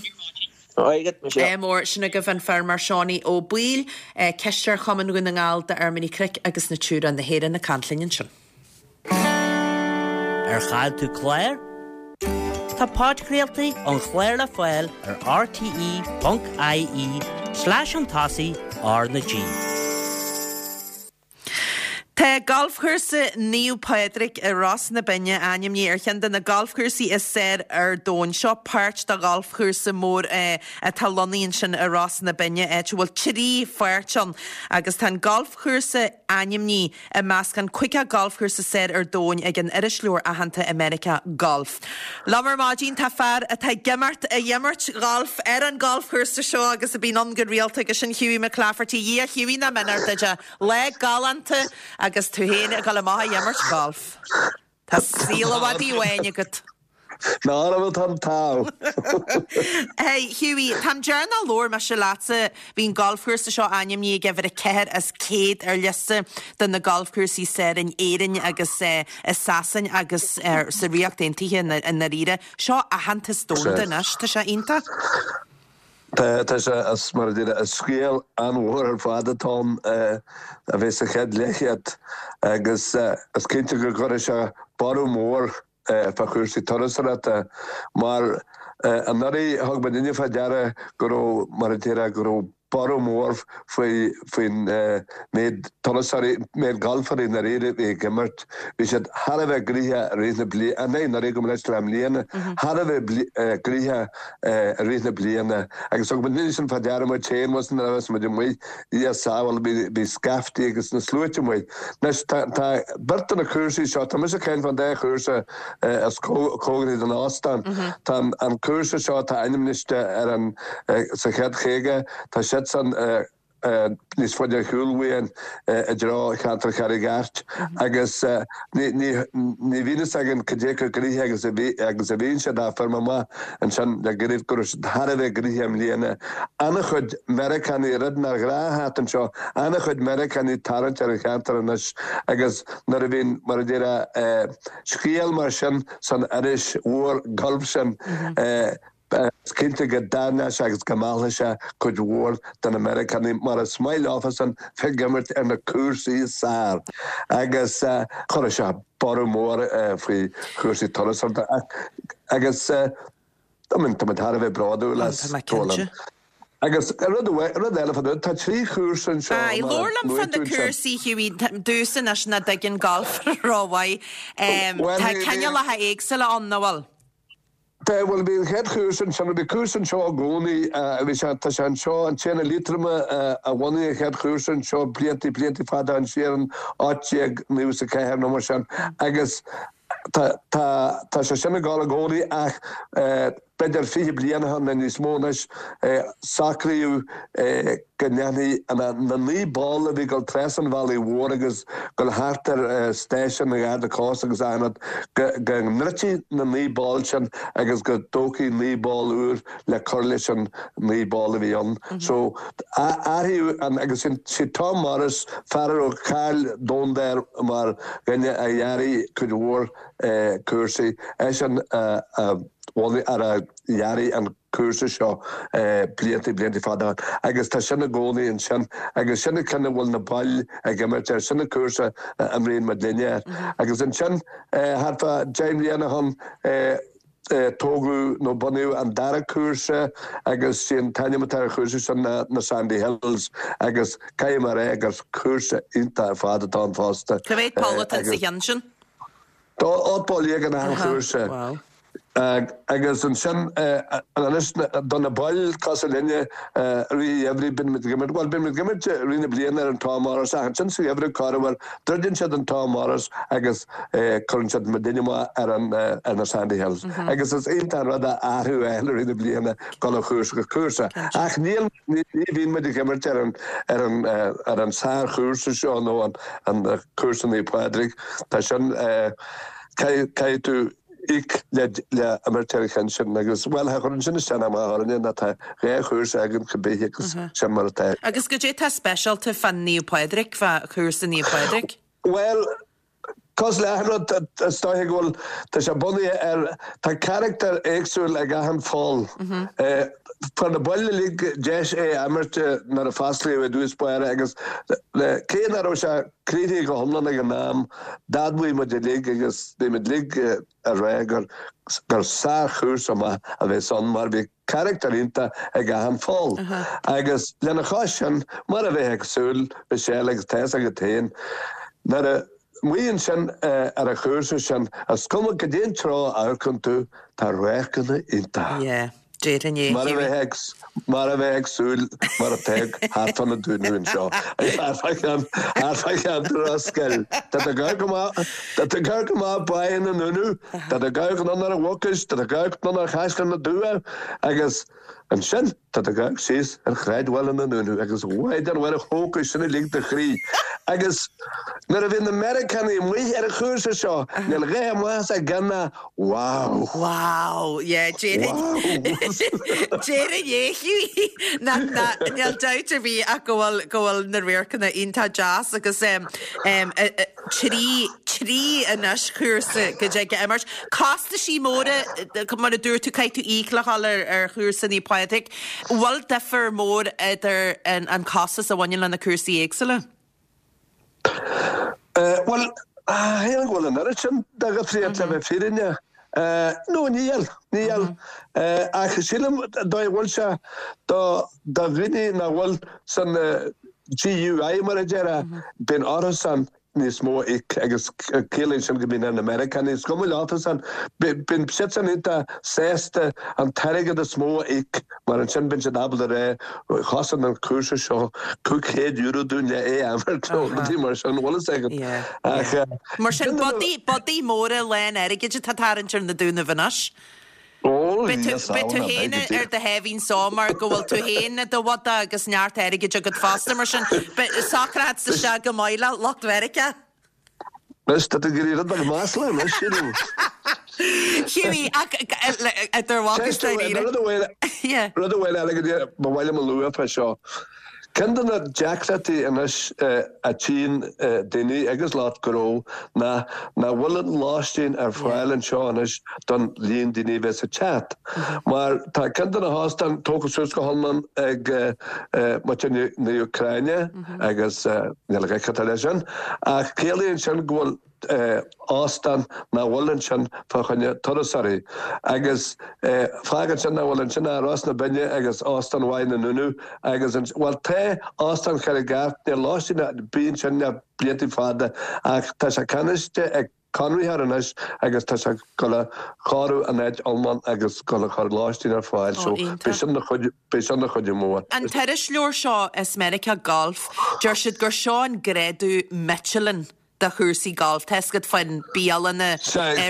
Maith agat, Michelle. Ádh mór. Sin agaibh an feirmeoir Seánie Ó Baoill, Cisteoir Chumann Dhún na nGall d'Fheirmeoirí Cnoic agus Natura na hÉireann ag caint linn ansin. Ar chaill tú clár? Tá podchraoltaí an chláir le fáil ar rte.ie slash chun tosaigh R na G. Tá Galfchúrsa Naomh Pádraig i Ros na Binne ainmnithe ar cheann de na galfchúrsaí is fearr ar domhan. Seo páirt de ghalfchúrsa mór atá lonnaithe ansin i Ros na Binne, áit a bhfuil 3 pháirt ann agus tá an galfchúrsa ainmnithe i measc an 50 galfchúrsa is fearr ar domhain ag an irisleabhar aitheanta i Meiriceá, Golf. Liom ar maidin tá fear atá ag imirt, ag imirt ghailf ar an galfchúrsa seo agus a bíonn ann go rialta agus sin Hughie McClafferty. A Dhia Hughie nach b'in duit é. Lá galánta agus tú féin ag dul amach ag imirt gailf. Tá saol an mhadaidh bháin agat. Ná raibh an t-ádh. Hey, Hughie, an t-am deireanach a labhair mise leatsa, bhí an galfchúrsa seo ainmnithe ag uimhir 4 as 100 ar liosta de na galfchúrsaí is fearr in Éirinn agus i Sasain agus sa Ríocht Aontaithe i ndáiríre. Seo aitheantas domhanda anois, tá sé iontach. Tá, tá sé, is mar a déarfá, is scéal an-mhór ar fad atá ann a bheith sa chéad leathchéad agus is cinnte go gcuirfidh sé borradh mór fá chúrsaí turasóireachta mar anuraidh thug muidinne fá deara go raibh, mar a déarfá, go raibh borradh mór faoi faoin méid turasóirí, méid galfairí i ndáiríre a bhí ag imirt. Bhí siad thar a bheith gnoitheach i rith na bliana, ní anuraidh gabh mo leithscéal i mbliana, thar a bheith gnoitheach i rith na bliana agus thug muidinne sin fá deara muid féin, nuair a bhí muid amuigh, Dia sábháil, bhí scaiftí agus na sluaite amuigh. Anois, tá, tá beirt de na cúrsaí seo, tá mise ag caint fán dá chúrsa is cóngaraí don óstán. Tá an cúrsa seo atá ainmniste ar an, sa chéad 50, tá siadsan níos faide ar shiúl uainn i dtreo cheantar Charraig Airt agus ní, ní, ní bhíonn fhios againn cad é chomh gnoitheach agus a bhí, agus a bhíonn siad ach fuair mé amach ansin le gairid go raibh siad thar a bheith gnoitheach i mbliana. An-chuid Meiriceánaigh, rud nár ghnách theacht anseo, an-chuid Meiriceánaigh ag tarraingt ar an cheantar anois agus nuair a bhíonn, mar a déarfá, scéal mar sin san iris mhór gailf sin, is cinnte go dtarraingeoidh sé agus go meallfaidh sé cuid mhór de na Meiriceánaigh mar is maith leofasan bheith ag imirt ar na cúrsaí is fearr agus chuirfeadh sé borradh mór faoi chúrsaí turasóireachta agus I mean, tá muid thar a bheith bródúil as. Tá mé cinnte. Agus rud rud eile fá tá 3 chúrsa anseo. Aye, labhair liom fá na cúrsaí Hughie, domhsa anois nach dtuigeann galf rómhaith. Tá cineálacha éagsúla ann, nach bhfuil? Tá, bhuel bhí an chéad chúrsa ansin, bhí cúrsa anseo i gcónaí, bhí sé, tá sé anseo, an Tiarna Liatroma a bhunaigh an chéad chúrsa anseo blianta, blianta fada ó shin siar in 1894 nó mar sin agus tá, tá, tá sé sin ag dul i gcónaí ach b'fhéidir 20 bliain ó shin nó níos mó anois, socraíodh go ndéanfaí na 9 bpoll a bhí ag dul trasna an bhealaigh mhór agus ag dul thart ar stáisiún an Gharda Cósta agus achan rud, go ndruidfí na 9 bpoll sin agus go dtógfaí 9 bpoll úr le cur leis an 9 bpoll a bhí ann. So, athraíodh an, agus sé Tom Morris, fear a raibh cáil domhanda air mar dhuine a dhearaigh cuid mhór cúrsaí, eisean a. bhunaigh ar a dhearaigh an cúrsa seo blianta, blianta fada ó shin agus tá sin i gcónaí ansin agus sin an ceann a bhfuil na baill ag imirt air, sin an cúrsa a imríonn muid linne air. Agus ansin thart fá 10 mbliana ó shin tógadh nó bunaíodh an dara cúrsa agus sé an t-ainm atá ar an chúrsa sin ná na Sandy Hills agus caithfidh mé a rá gur cúrsa iontach ar fad atá ann fosta. Cá mhéad poll atá sa cheann sin? Tá 18 bpoll in achan chúrsa agus ansin anois do na baill cosúil linne i rith an gheimhridh bíonn muid ag imirt, bhuel bíonn muid ag imirt i rith na bliana ar an Tom Morris ach ansin sa gheimhreadh corruair druideann siad an Tom Morris agus cuireann siad muidinne amach ar an ar na Sandy Hills agus is iontach an rud é athrú a fháil i rith na bliana dul ó chúrsa go cúrsa ach níl Ní bhíonn muid ag imirt ar an ar an ar an sárchúrsa seo nó an an cúrsa Naomh Pádraig. Tá sin caithfidh caithfidh tú íoc le le imirt ar an cheann sin agus bhuel cha chuireann sin isteach ná amach orainne ná tá 2 chúrsa againn cibé agus sin mar atá. Agus goidé tá speisialta fá Naomh Pádraig, fá chúrsa Naomh Pádraig? Bhuel Cosúil le achan rud, is dóiche go bhfuil, tá sé bunaithe ar, tá carachtar éagsúil ag achan pholl. Fuair na baill uilig deis é a imirt nuair a fosclaíodh i dtús báire agus cé nach raibh sé críochnaithe go hiomlán ag an am, d'admhaigh muid uilig agus bhí muid uilig ag rá gur gur sárchúrsa maith a bheas ann mar bhí carachtar iontach ag achan pholl. Agus lena chois sin, mar a bheifeá ag súil, Michelle, agus tá fhios agat féin, nuair a amuigh ansin ar an chúrsa sin, is cuma goidé an treo a amharcann tú, tá radharcanna iontacha. Yeah, déarfainn é. Mar a bheifeá ag, mar a bheifeá ag súil, mar atá thart fá na Dúnaibh anseo, thart fá cheann, thart fá cheantar Ros Goill. Tá tú ag amharc amach, tá tú ag amharc amach Báighe na nDúnadh, Tá tú ag amharc anonn ar an Mhucais, tá tú ag amharc anonn ar Chaisleán na dTuath agus ansin tá tú ag amharc síos ar shráidbhaile na nDúnaibh agus a Mhaighdean Mhuire thógfadh sin uilig do chroí. Agus nuair a bhíonn na Meiriceánaigh amuigh ar an chúrsa seo, níl a dhath amach as a gceann ná Wow! Wow! Yeah, déarfainn déarfainn é Hughie ná ná níl dabht ar bith ach go bhfuil go bhfuil na radharcanna iontach deas agus em em 3, 3 anois chúrsa go dtig a imirt. Costaisí móra, mar a dúirt tú, caithfidh tú íoc le dhul ar ar chúrsa Naomh Pádraig. Bhfuil difear mór idir an an costas a bhaineann le na cúrsaí éagsúla? Bhuel, shílim go bhfuil an oiread sin de dhifríocht le bheith fírinneach. No, níl, níl. Ach sílim dóigh a bhfuil sé do do dhaoine nach bhfuil san GUI mar a déarfá, bíonn orthusan níos mó a íoc agus ciallaíonn sin go mbíonn ar na Meiriceánaigh. Is cuma leofasan, bíonn siadsan iontach sásta an t-airgead is mó a íoc mar ansin bíonn siad ábalta a rá chosain an cúrsa seo €500 dúinn le é a imirt nó rudaí mar sin, bhfuil fhios agat. Ach Mar sin biodaí móra lán airgid atá tarraingt ar na Dúnaibh anois. Beidh tú beidh tú féin ar do sháimhín só mar go bhfuil tú féin i do bhodach agus neart airgid agat fosta mar sin beidh socróidh tú isteach go maith le lucht Mheiriceá. Anois tá tú ag iarraidh rud beag masla anois, sílim. Hughie, ach idir mhac is dáiríre. Rud amháin Yeah. rud amháin eile go dtí ba mhaith liom a lua fá seo. Ceann de na deacrachtaí anois a tchíonn daoine agus lucht gnó ná nach bhfuil an lóistín ar fáil anseo anois don líon daoine a bheas ag teacht. Mar tá ceann de na hóstáin tógtha suas go hiomlán ag muintir na Úcráine agus níl a dhath leis sin ach ciallaíonn sin go bhfuil. Óstán nach bhfuil ansin fá choinne turasóirí agus fágann sin nach bhfuil ansin ach Ros na Binne agus Óstán mhaith na nDúnaibh agus an, bhuel tá Óstán Charraig Airt, níl lóistín ar bith ansin le blianta fada ach tá sé ceannaiste ag conraitheoir anois agus tá sé ag dul a chóiriú an áit iomlán agus dul a chur lóistín ar fáil so beidh sin ina chuid, beidh sin ina chuidiú mór. An t-irisleabhar seo as Meiriceá Golf, deir siad gur seo an grádú Michelin do chúrsaí gailf. Tá fhios agat faoin bialanna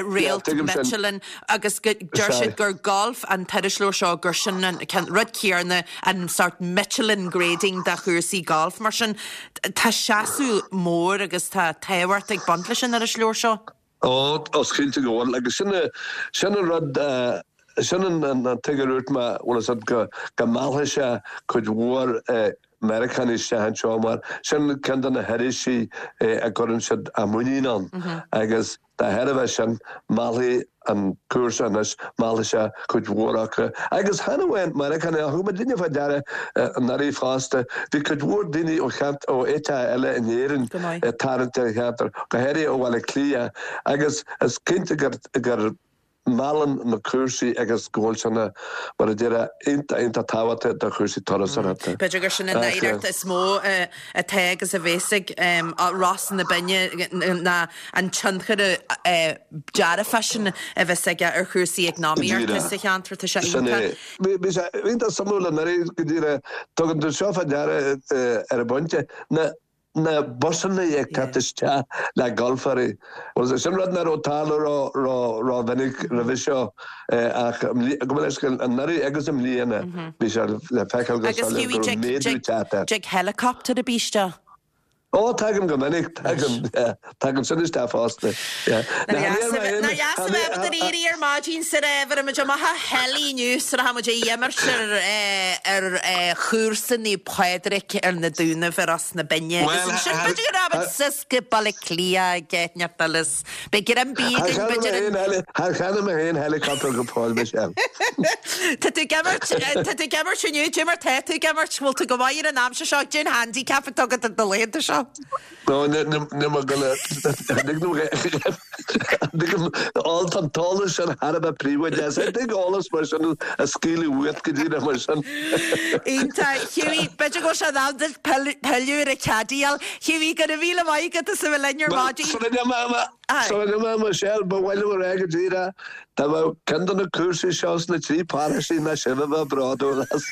réalt Michelin agus deir siad gur golf an t-irisleabhar seo gur sin an rud céanna an sort Michelin grading do chúrsaí gailf. Mar sin tá seasamh mór agus tá tábhacht ag baint leis an irisleabhar seo. Ó, is cinnte go bhfuil agus sin sin an rud sin an tuige a dúirt mé bhfuil fhios agat go go meallfaidh sé cuid mhór Meiriceánaigh isteach anseo mar sin ceann de na hirisí a gcuireann siad a muinín ann agus dá thairbhe sin meallfaidh an cúrsa anois, meallfaidh sé cuid mhór acu. Agus chan amháin Meiriceánaigh ach thug muidinne fá deara anuraidh fosta, bhí cuid mhór daoine ó cheant, ó áiteacha eile in Éirinn ag tarraingt ar an cheantar, go háirithe ó Bhaile Átha Cliath agus is cinnte gur, gur meallann na cúrsaí agus go bhfuil sé ina, mar a déarfá, iontach, iontach tábhachtach do chúrsaí turasóireachta. B'fhéidir gur sin an oidhreacht is mó atá agus a bheas ag Ros na Binne ná an tionchar dearfach sin a bheas aige ar chúrsaí eacnamaíochta sa cheantar. Tá sé iontach. Bhí sé iontach suimiúil anuraidh go díreach, tugann tú seo fá deara ar an bpointe, na na busanna ag teacht isteach le galfairí. Bhuel, sin rud nach raibh ag tarlú ró-mhinic roimhe seo ach gabh mo leithscéal, anuraidh agus i mbliana bhí sé le feiceáil go soiléir go raibh méadú ag teacht air. Dtig helicopter ar bith isteach? Ó, tagann go minic, tagann, yeah, tagann sin isteach fosta, yeah. Nár dheas a bheith ag éirí ar maidin sa raibh muid amach a heilí inniu sa raibh muid ag imirt ar ar chúrsa Naomh Pádraig ar na Dúnaibh i Ros na Binne agus ansin b'fhéidir go raibh muid suas go Baile Átha Cliath ag eitneacht eile is beidh greim bídh againn b'fhéidir an Char cheannaigh mé féin helicopter go fóill Michelle. Tá tú ag imirt tá tú ag imirt inniu, cad é mar tá tú ag imirt, bhfuil tú go maith ar an aimsir seo, cén handicap atá agat ar na laethanta seo? No, níl mé gonna, tuigim, tá an t-eolas sin thar a bheith príobháideach. Is dtig eolas mar sin a scaoileadh uait go díreach mar sin. Iontach. Hughie, b'fhéidir go bhfuil sé in am duit pilleadh ar an caddyáil. Hughie, go raibh míle maith agat as a bheith linn ar maidin. Sula n-imeoidh Michelle, ba mhaith liom a rá go díreach, dá mbeadh ceann de na cúrsaí seo sna trí paróistí ná sibh a bheadh bródúil as.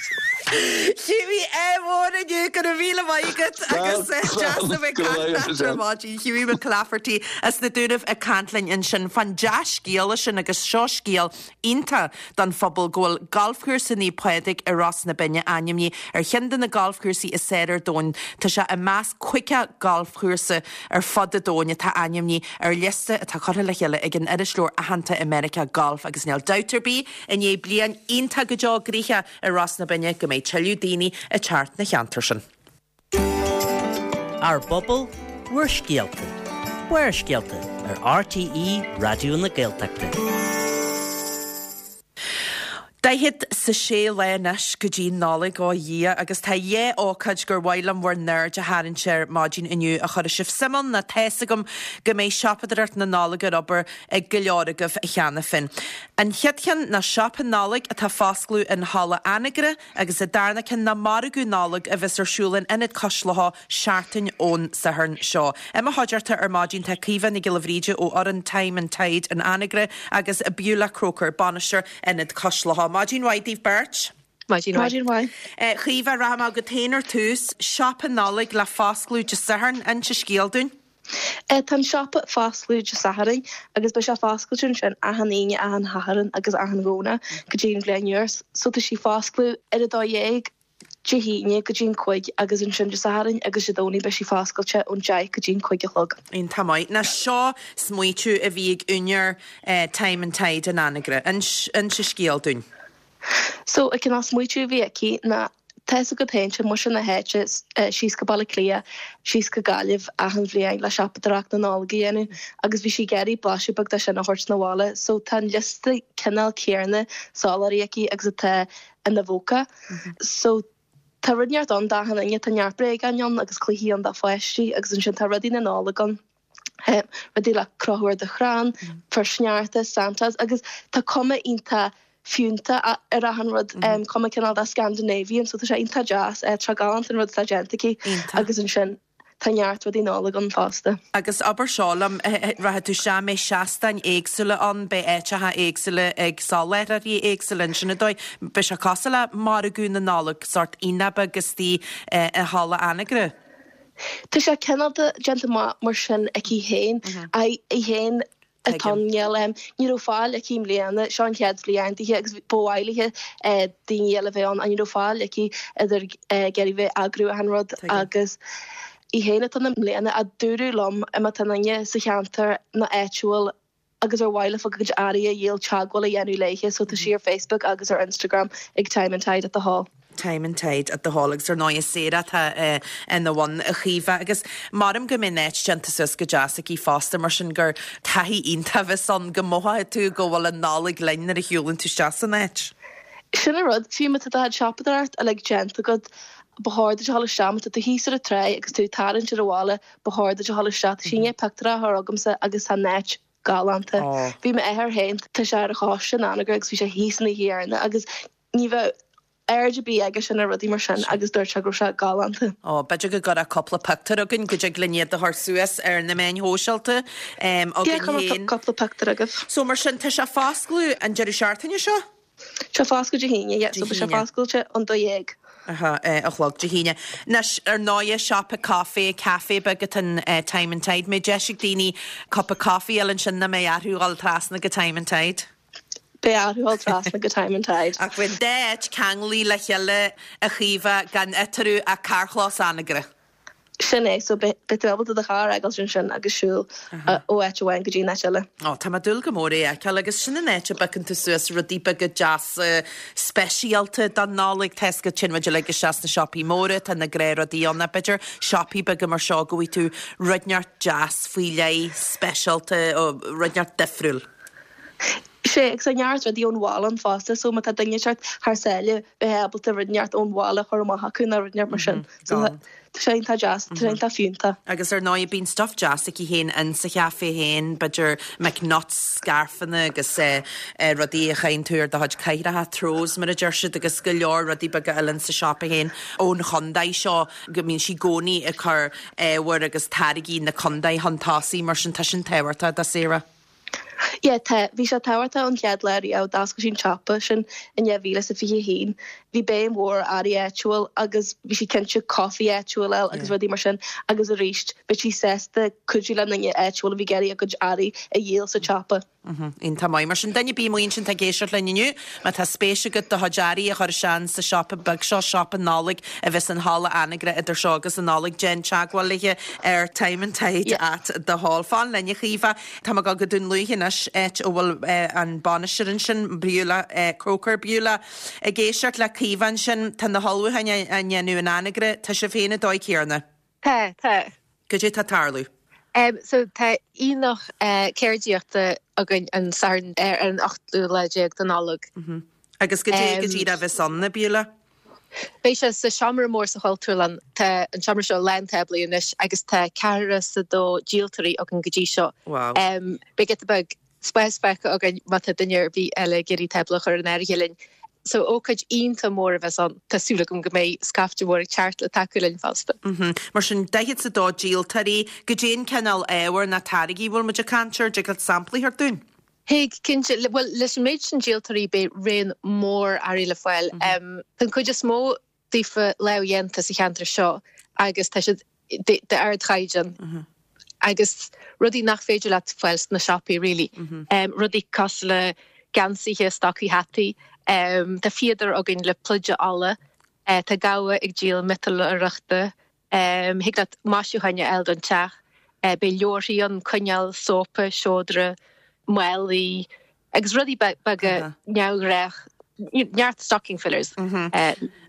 Hughie, ádh mór inniu, go raibh míle maith agat agus deas a bheith ag caint leat ar maidin. Hughie McClafferty as na Dúnaibh ag caint linn ansin fán dea-scéala sin agus seo scéal iontach don phobal go bhfuil Galfchúrsa Naomh Pádraig i Ros na Binne ainmnithe ar cheann de na galfchúrsaí is fearr ar domhan. Tá sé i measc 50 galfchúrsa ar fud an domhain atá ainmnithe ar liosta atá curtha le chéile ag an iriseoir aitheanta i Meiriceá Golf agus níl dabht ar bith i ndiaidh bliain iontach go deo gnoitheach i Ros na Binne go mbeidh tuilleadh daoine ag teacht 'na cheantar sin. Ár bpobal, bhur scéalta. Barrscéalta ar RTÉ Raidió na Gaeltachta. Daichead 's a sé lá anois go dtí Nollaig, ó Dhia, agus tá dhá ócáid gur mhaith liom bhur n-aird a tharraingt air maidin inniu a chuirfidh sibh suim ann, nó tá's agam go mbeidh siopadóireacht na Nollag ar obair ag go leor agaibh cheana féin. An chéad cheann ná Siopa Nollag atá foscladh in Halla Anagaire, Agus an darna ceann ná Margadh Nollag a bheas ar siúl in Ionad Cois Locha seachtain ón Satharn seo. I mo chuideachta ar maidin tá Caoimhe Nic Giolla Bhríde ó fhoireann Time and Tide in Anagaire agus Beulah Croker, bainisteoir Ionad Cois Locha. Maidin mhaith daoibh beirt. Maidin mhaith. Maidin mhaith. A Chaoimhe, rachaidh mé chugat féin ar tús. Siopa Nollag le foscladh Dé Sathairn, inis an scéal dúinn. Tá an siopa ag foscladh Dé Sathairn agus beidh sé foscailte ansin achan Aoine, achan Shatharn agus achan Dhomhnach go dtí an bhliain úr. So tá sí foscladh ar a 12 Dé hAoine go dtí an 5 agus ansin Dé Sathairn agus Dé Domhnaigh beidh sí foscailte ón 10 go dtí an 5 a chlog. Iontach maith. Now seo smaoitiú a bhí ag úinéir Time and Tide in Anagaire. Inis an scéal dúinn. So an cineál smaoitiú a bhí aici ná Tá's agat féin, téann muintir na háite síos go Baile Átha Cliath, síos go Gaillimh achan bhliain le siopadóireacht na Nollag a dhéanamh agus bhí sí ag iarraidh blaiseadh beag de sin a thabhairt 'na bhaile so tá an liosta cineál céarna soláthraí aici agus atá ina bpóca. So tá rud inteacht ann d'achan duine, tá neart bréagáin ann agus cluichí ann do pháistí agus ansin tá rudaí na Nollag ann. Rudaí le crochadh ar do chrann, fear sneachta, Santas agus tá cuma iontach fiúntach ar achan rud, cuma cineál de Scandinavian so tá sé iontach deas, tá sé galánta an rud atá déanta aici agus ansin tá neart rudaí Nollag ann fosta. Agus abair seo liom, rachaidh tú isteach, an mbeidh seastáin éagsúla ann, beidh áiteacha éagsúla ag soláthraithe éagsúla ansin an dóigh, beidh sé cosúil le margadh na Nollag, sórt aonach beag istigh i Halla Anagaire. Tá sé cineál de déanta amach mar sin aici féin, í féin atá ann, níl, ní raibh fáil aici i mbliana, seo an chéad bhliain dithe agus ba mhaith léi daoine eile a bheith ann ach ní raibh fáil aici idir ag iarraidh bheith ag eagrú achan rud agus í féin atá ann i mbliana ach dúradh liom má tá duine sa cheantar nó áitiúil agus ar mhaith leofa a gcuid earraí a dhíol teagmháil a dhéanamh léithe so tá sí ar Facebook agus ar Instagram ag Time and Tide at the Hall. Time and Tide at the Hall agus ar ndóigh is Sarah atá ina bhun a Chaoimhe agus maram go mbeidh an áit déanta suas go deas aici fosta mar sin gur taithí iontach a bheas ann go mothóidh tú go bhfuil an Nollaig linn nuair a shiúlann tú isteach san áit. Sin an rud, fiú má tá do chuid siopadóireacht uilig déanta agat, ba chóir duit a dhul isteach, má tá tú thíos ar an tráigh agus tú ag tarraingt ar an bhaile, Ba chóir duit a dhul isteach. Tá sí i ndiaidh pictiúr a chur chugamsa agus tá an áit galánta. Bhí m'athair féin, tá sé ar an choiste in Anagaire agus bhí sé thíos an oíche dheireanach agus ní bheadh aird ar bith aige sin ar rudaí mar sin agus dúirt sé go raibh sé galánta. Ó, b'fhéidir go gcuirfeá cúpla pictiúr chugainn go dtig linn iad a chur suas ar na meáin shóisialta againn féin. Cuirfidh mé cúpla pictiúr chugaibh. So mar sin, tá sé fá oscailt an deireadh seachtaine seo? Tá sé foscailte Dé hAoine, yeah, so beidh sé foscailte ón 12. Aha, a chlog Dé hAoine. Anois, ar ndóighe, siopa caife, caife beag atá in Time and Tide. Mbeidh deis ag daoine cupa coffee a fháil ansin nó mbeidh orthu dhul trasna go Time and Tide? Beidh orthu dhul trasna go Time and Tide. Ach bheadh an dá áit ceanglaithe le chéile, a Chaoimhe, gan eatarthu ach carrchlós Anagaire. Sin é, so beidh tú ábalta do charr a fhágáilt ansin agus siúl ó áit amháin go dtí an áit eile. Ó, tá mé ag dúil go mór é a fheiceáil agus sin an áit a bpiocann tú suas rudaí beaga deasa speisialta don Nollaig. Tá 'fhios agat téann muid uilig isteach sna siopaí móra, tá na gnáthrudaí ann ach b'fhéidir siopaí beaga mar seo go bhfaighidh tú rud inteacht deas faoi leith, speisialta, rud inteacht difriúil. Sea, agus tá neart rudaí ón bhaile ann fosta, so má tá duine ag teacht thar sáile, bheith ábalta rud inteacht ón bhaile a chur amach acu nó rud inteacht mar sin. So tá sé iontach deas, tá sé iontach fiúntach. Agus ar ndóigh bíonn stuff deas aici féin in sa chaife féin, b'fhéidir McNuts, scairfeanna agus rudaí a chaitheann tú ar do chuid cathracha, throws mar a deir siad, agus go leor rudaí beaga eile in sa siopa féin ón chontae seo go mbíonn sí i gcónaí ag cur ábhair agus táirgí na contae chun tosaigh, mar sin tá sin tábhachtach do Sarah. Yeah, tá. Bhí sé tábhachtach ón chéad lá riamh, d'oscail sí an siopa sin in 2021. Bhí béim mhór ar earraí áitiúil agus bhí sí cinnte coffee áitiúil a fháil agus rudaí mar sin agus arís bhí sí sásta cuidiú le daoine áitiúil a bhí ag iarraidh a gcuid earraí a dhíol sa tsiopa. Iontach maith. Mar sin, duine ar bith amuigh ansin atá ag éisteacht linn inniu, má tá spéis agat do chuid earraí a chur isteach sa siopa beag seo, siopa Nollag a bheas in Halla Anagaire idir seo agus an Nollaig, déan teagmháil léi ar Time and Tide at the Hall. Fan linn, a Chaoimhe. Tá mé ag dul go Dún Lúiche anois, áit a bhfuil an bainisteoir ansin, Beulah Croker. Beulah, ag éisteacht le Caoimhe ansin, tá na hullmhúcháin á ndéanamh in Anagaire, tá sibh féin an dóigh céarna? Tá, tá. Goidé tá ag tarlú? So tá aonach ceardaíochta againn an Satharn ar an ochtú lá déag de Nollaig. Agus goidé go díreach a bheas ann, a Beulah? Beidh sé sa seomra mór sa Chultúrlann. Tá an seomra seo lán táblaí anois agus tá ceathracha is a dó díoltóirí againn go dtí seo. Wow. Beidh giota beag spáis fágtha againn má tá duine ar bith eile ag iarraidh tábla a chur in áirithe linn. So ócáid iontach mór a bheas ann. Tá súil agam go mbeidh scaifte mhór ag teacht le tacú linn fosta. Mar sin, 42 díoltóirí, goidé an cineál ábhair ná táirgí a bhfuil muid ag caint air, dtig leat samplaí a thabhairt dúinn? Thig, cinnte. Bhuel, leis an méid sin díoltóirí beidh raon mór earraí le fáil. Tá an chuid is mó daofa lámhdhéanta sa cheantar seo agus tá siad d'ardchaighdeán agus rudaí nach féidir leat fáil sna siopaí really. Rudaí cosúil le geansaithe, stocaí hataí. Tá fíodóir againn le pluide olla. Tá gabha ag díol miotalóireachta. Thig leat maisiúcháin a fháil don teach. Beidh leabharthaí ann, coinneal, sópa, seodra, málaí agus rudaí beaga neamhghnách, neart stocking fillers.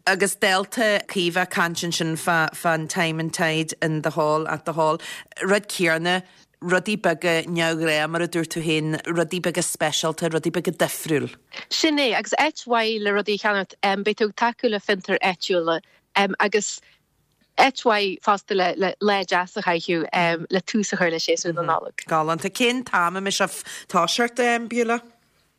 Agus dálta Caoimhe ag caint ansin fán Time and Tide in the Hall, at the Hall, rud céarna, rudaí beaga neamhghnách mar a dúirt tú féin, rudaí beaga speisialta, rudaí beaga difriúil. Sin é, agus áit mhaith le rudaí a cheannacht. Beidh tú ag tacú le fiontair áitiúla agus. Áit mhaith fosta le lá deas a chaitheamh le tús a chur le séasúr na Nollag. Galánta. Cén t-am a mbeidh sibh ag toiseacht, Beulah?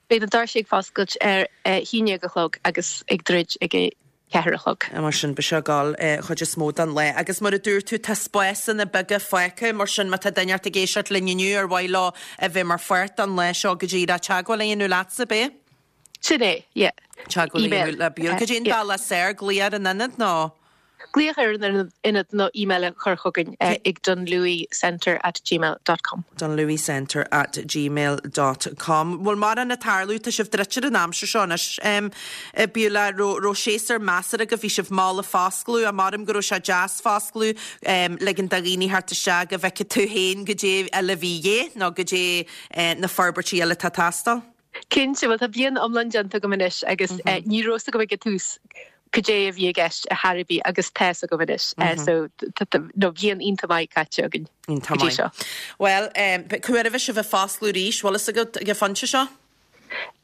Beidh na doirse ag foscailt ar a haon déag a chlog agus ag druid ag a ceathair a chlog. Mar sin, beidh sé ag dul chuid is mó den lá. Agus mar a dúirt tú, tá spásanna beaga fágtha, mar sin má tá duine ort ag éisteacht linn inniu ar mhaith leo a bheith mar pháirt den lá seo go díreach teagmháil a dhéanamh leatsa, ab é? Sin é, yeah. Teagmháil a dhéanamh le Beulah. Cad é an bealach is fearr, glaoch ar an ionad nó? Glaoch ar an ionad nó email a chur chugainn ag dunlewycentre at gmail dot com. dunlewycentre at gmail dot com. Bhfuil mórán ag tarlú, tá sibh druidte ar an aimsir seo anois, a Beulah, raibh séasúr measartha agaibh, bhí sibh mall ag foscladh, maram go raibh sé deas foscladh, ligean do dhaoine theacht isteach go bhfeicfidh tú féin goidé eile a bhí de dhíth nó goidé na forbairtí eile atá ag teastáil. Cinnte, bhuel tá bliain iomlán déanta agam anois agus ní raibh 's agam ag an tús cad é a bhí i gceist ar chor ar bith agus tá 's agam anois. So nó bliain iontach maith caite againn go dtí seo. Bhuel, cá huair a bheidh sibh ag foscladh arís, bhfuil fhios agat ag an phointe seo?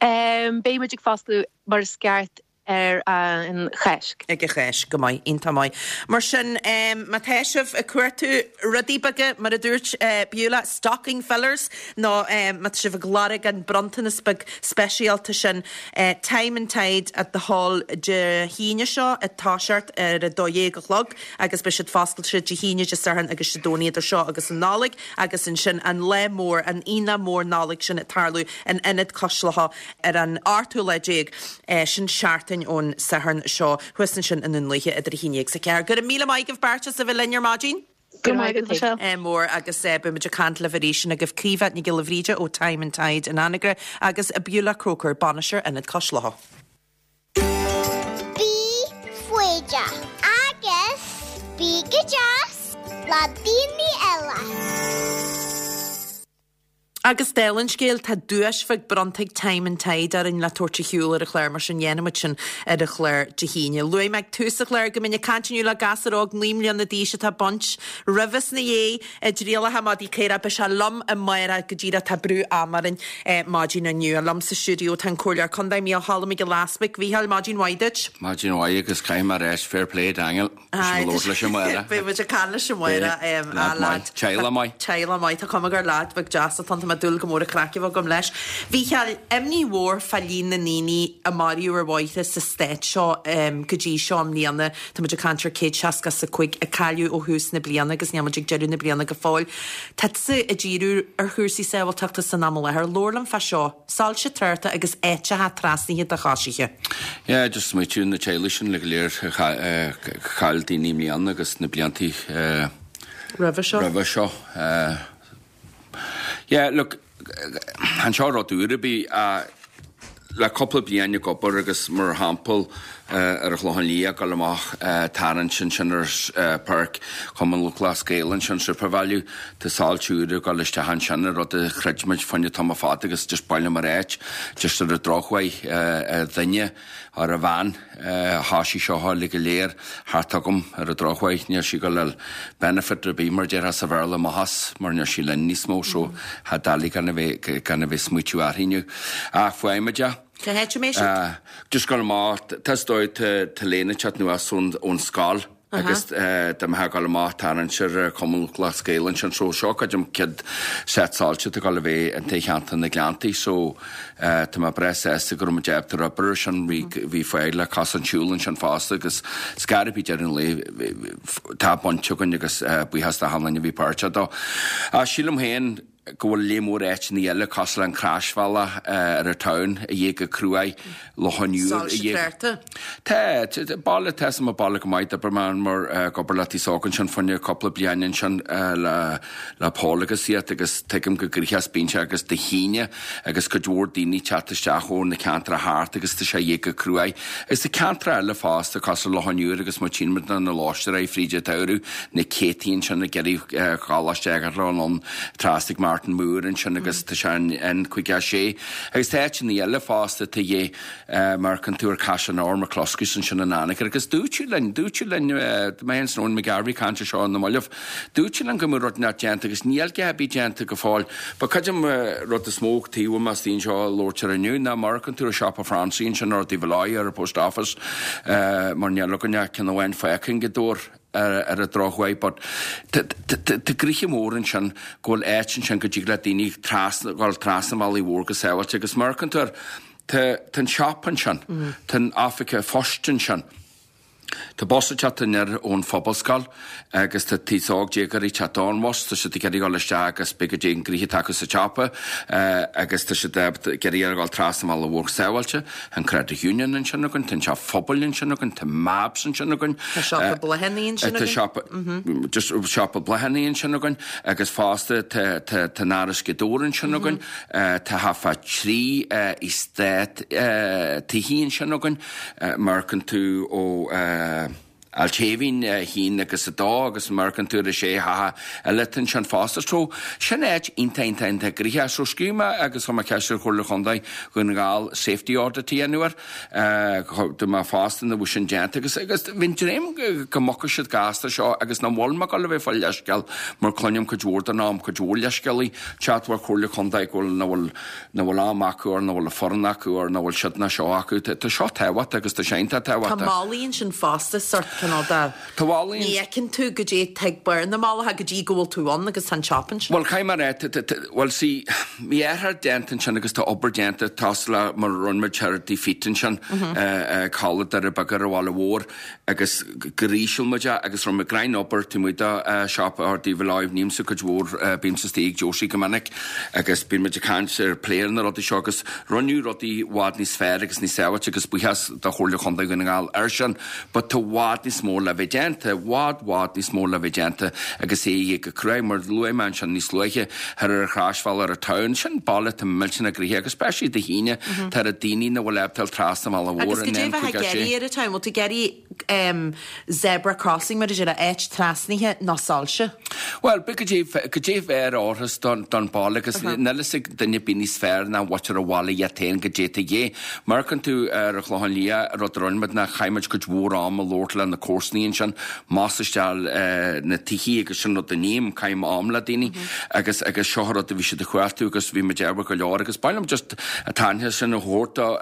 Beidh muid ag foscladh mar is ceart ar an Cháisc. Ag an Cháisc, go maith, iontach maith. Mar sin, má tá sibh ag cuartú rudaí beaga, mar a dúirt Beulah, stocking fillers, nó má tá sibh ag lorg an bronntanas beag speisialta sin, Time and Tide at the Hall Dé hAoine seo ag toiseacht ar a 12 a chlog agus beidh siad foscailte Dé hAoine, Dé Sathairn agus Dé Domhnaigh idir seo agus an Nollaig agus ansin an lá mór, an aonach mór Nollag sin ag tarlú in Ionad Cois Locha ar an ochtú lá déag, sin seachtain ón Satharn seo, thuas ansin i nDún Lúiche idir 11 agus 4. Go raibh míle maith agaibh beirt as a bheith linn ar maidin. Go raibh maith agat, Michelle. Mór agus beidh muid ag caint libh arís sin agaibh Caoimhe Nic Giolla Bhríde ó Time and Tide in Anagaire agus Beulah Croker, Bainisteoir Ionad Cois Locha. Bí foighdeach agus bí go deas le daoine eile. Agus dála an scéil, tá duais bheag bronnta ag Time and Tide orainn le tabhairt ar shiúl ar an chlár, mar sin dhéanfaidh muid sin ar an chlár Dé hAoine. Luaigh mé ag tús an chláir go mbeinn ag caint inniu le gasúr óg 9 mbliana d'aois atá ag baint roimhe is ina dhiaidh i dtrialacha madaí caorach. Beidh sé liom amárach go díreach, tá brú ama orainn maidin inniu. Liom sa stiúideo tá an Comhairleoir Contae Mícheál Cholm Mac Giolla Easbuig. Mhícheáil, maidin mhaith duit. Maidin mhaith agus caithfidh mé a rá fair play Daniel. Aye, tá sé Beidh muid ag caint leis amárach. Ah, lad. Teaghlach maith. Teaghlach maith. Tá cuma gur lad beag deas atá ann. Tá mé ag dúil go mór le craic a bheith agam leis. Mhícheáil, imní mhór fá líon na ndaoine a maraíodh ar bhóithre sa stát seo go dtí seo i mbliana. Tá muid ag caint ar 165 a cailleadh ó thús na bliana agus níl muid ag deireadh na bliana go fóill. Tá tusa ag díriú ar chúrsaí sábháilteachta san am i láthair. Labhair liom fá seo. Soilse tráchta agus áiteacha trasnaithe do choisithe. Yeah, just smaoitiú na teaghlaigh sin le go léir a chaill daoine i mbliana agus na bliantaí roimhe seo. Roimhe seo. Yeah, look, chan seo rud úr ar bith le cúpla bliain ag obair agus mar shampla ar an Chlochán Liath ag dul amach tarraingt ansin ar Páirc Chumann Lúthchleas Gael ansin SuperValu tá soilse úr ag dul isteach ansin an rud a chreid muid fá choinne tamall fada agus just ba mhaith liom a ráit just ar an drochuair a dhuine ar a bhean a thoisigh seo uilig go léir thart agam ar an drochuair níl sí ag dul a fháil benefit ar bith mar déarfá sa Bhéarla amach as mar níl sí linn níos mó so tá doiligh gan a bheith gan a bheith smaoitiú uirthi inniu ach fuaimid é. Cá háit a mbeidh siad? Just dul amach, tá is dóigh tá léine ag teacht anuas ón scoil agus dá mbeifeá ag dul amach tarraingt ar Chumann Lúthchleas Gael ansin so seo creidim chéad set soilse atá ag dul a bheith in cheantar na Gleanntaí so tá mé breá sásta go raibh muid ábalta ar obair ar sin bhí bhí fáil le cosán siúil ansin fosta agus scar ar bith deireadh an lae tá baint againn agus buíochas do achan duine a bhí páirteach dó. Sílim féin go bhfuil léar mór áiteanna eile cosúil le an Croisbhealach ar an town a dhíth go cruaidh, Loch an Iúir a Soilse dhíth. tráchta. Tá, baile, tá sa baile go maith, d'oibir mé mar ag obair le taos óg ansin fá choinne cúpla bliain ansin le le Paul agus iad agus tuigim go gnoitheach is bíonn sé agus Dé hAoine agus cuid mhór daoine teacht isteach ó na ceantracha thart agus tá sé a dhíth go cruaidh. Agus tá ceantracha eile fosta cosúil le Loch an Iúir agus má tchíonn muid na Lóiste fríd an tsamhradh, na céadtaí ansin ag iarraidh dhul isteach ar an trasna ag Martin Moore ansin agus tá sé an N56 agus tá áiteanna eile fosta tá dhé mar amharcann tú ar Caiseal an Fheabhair, McCluskey's ansin in Anagaire agus dúirt linn, dúirt linn mé féin 's Eoin McGarvey caint ar seo na mallaibh, dúirt linn go mbeadh rud inteacht déanta agus níl a dhath ar bith déanta go fóill. But creidim rud is mó taobh amuigh as daoine seo a labhairt ar inniu ná mar amharcann tú ar siopa Francie ansin ar Taobh Loigh ar an Post Office mar níl againn ach ceann amháin fágtha i nGaoth Dobhair. ar an drochuair but tá gnoithe mór ansin go bhfuil áit ansin go dtig le daoine trasna, dhul trasna an bhealaigh mhór go sábháilte agus má amharcann tú air, tá an siopa ansin, tá an oifig phoist ansin. Tá bus ag teacht aniar ón Phobalscoil agus tá aos óg déagóirí ag teacht ón bhus, tá siad ag iarraidh dhul isteach agus beidh go dtí an gnoithe atá acu sa tsiopa agus tá siad ag iarraidh dhul trasna an bhealaigh mhór sábháilte. Tá an Credit Union ansin againn, tá an teach phobail ansin againn, tá Mabs ansin againn. Tá siopa bláthanna ansin againn. Tá siopa, just siopa bláthanna ansin againn agus fosta tá tá tá an Áras Ghaoth Dobhair ansin againn, tá half a 3 eastát tithe ansin againn. Má amharcann tú ó Ailt Shéimhín, 1 agus 2 agus má amharcann tú ar an sé theach eile atá ansin fosta. So, sin áit iontach, iontach, iontach gnoitheach. So, scríobh mé agus chuir mé ceist ar Chomhairle Chontae Dhún na nGall safety audit a dhéanamh air. Dúirt mé fosta nach bhfuil sin déanta agus agus bhí an dream go mbogfaidh siad gasta seo agus nach bhfuil mé ag dul a bheith ag fáil leithscéal mar cluinim cuid mhór den am, cuid mhór leithscéalaí teacht ó Chomhairle Chontae go bhfuil, nach bhfuil nach bhfuil am acu or nach bhfuil foireann acu or nach bhfuil siad ná seo acu. Tá seo tábhachtach agus tá sé iontach Tá tábhachtach. malaí ansin fosta, sort cineál de. Tá malaí Ní fheiceann tú goidé tá ag barr na malacha go dtí go bhfuil tú ann agus tá an siopa ansin. Bhuel, caithfidh mé a rá, bhuel see, bhí athrú déanta ansin agus tá obair déanta, cosúil le mar a rinne muid thoir i Feet ansin, ag Halla Doire Beaga ar an Bhaile Mhór. agus gur íseal muid é agus rinne muid greim obair taobh amuigh de siopa ar taobh láimh nímsa cuid mhór bímse istigh ag Josie go minic agus bíonn muid ag caint ar plé ar na rudaí seo agus rinneadh rudaí i bhfad níos fearr agus níos sábháilte agus buíochas do Chomhairle Chontae Dhún na nGall air sin but tá i bhfad níos mó le bheith déanta, i bhfad bhfad níos mó le bheith déanta agus é go cruaidh mar luaigh mé ansin níos luaithe thoir ar an Chroisbhealach ar an town sin baile atá millteanach gnoitheach agus especially Dé hAoine tá na daoine nach bhfuil ábalta dul trasna an bhealaigh mhór Agus goidé bheifeá ag iarraidh ar an town, bhfuil tú ag iarraidh zebra crossing mar a déarfá, áit trasnaithe nó soilse? Bhuel, b'fhéidir goidé, goidé bheadh ar orthas don, don baile agus níl a fhios ag duine ar bith níos fearr ná mhuintir an bhaile iad féin goidé atá de dhíth. Má amharcann tú ar an Chlochán Liath, rud a rinne muid ná chaith muid cuid mhór am ag labhairt le na comharsanaí ansin, más isteach na tithe agus sin rud a ním, caithim am le daoine agus agus seo an rud a bhí siad ag cuartú agus bhí muid ábhar go leor agus b'áil liom just an t-aitheantas sin a thabhairt do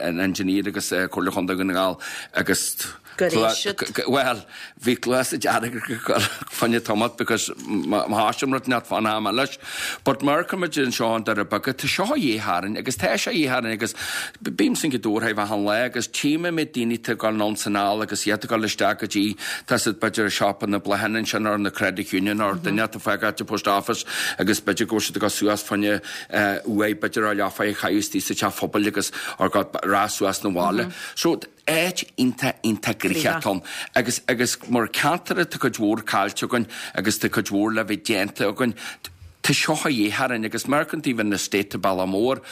an engineer agus Comhairle Chontae Dhún na nGall agus Gur éist siad. Bhuel, bhí cluasa dearg fá choinne tamalt because má thaistim rud inteacht fán am eile. But mar tá muid anseo i nDoire Beaga, tá seo a dhíth orainn agus tá sé a dhíth orainn agus bímse ag dul thart achan lá agus tchím an méid daoine atá ag dul anonn 's anall agus iad ag dul isteach go dtí, tá siad b'fhéidir i siopa na bláthanna ansin or na Credit Union or duine atá fágáilte sa Post Office agus b'fhéidir go bhfuil siad ag dul suas fá choinne uair b'fhéidir a leath a chaitheamh istigh sa teach phobail agus or go rá suas na bhaile. So áit iontach iontach gnoitheach atá ann agus agus mar ceantar tá cuid mhór caillte againn agus tá cuid mhór le bheith déanta againn. Tá seo a dhíth orainn agus mar an taobh an estate Bealach Mór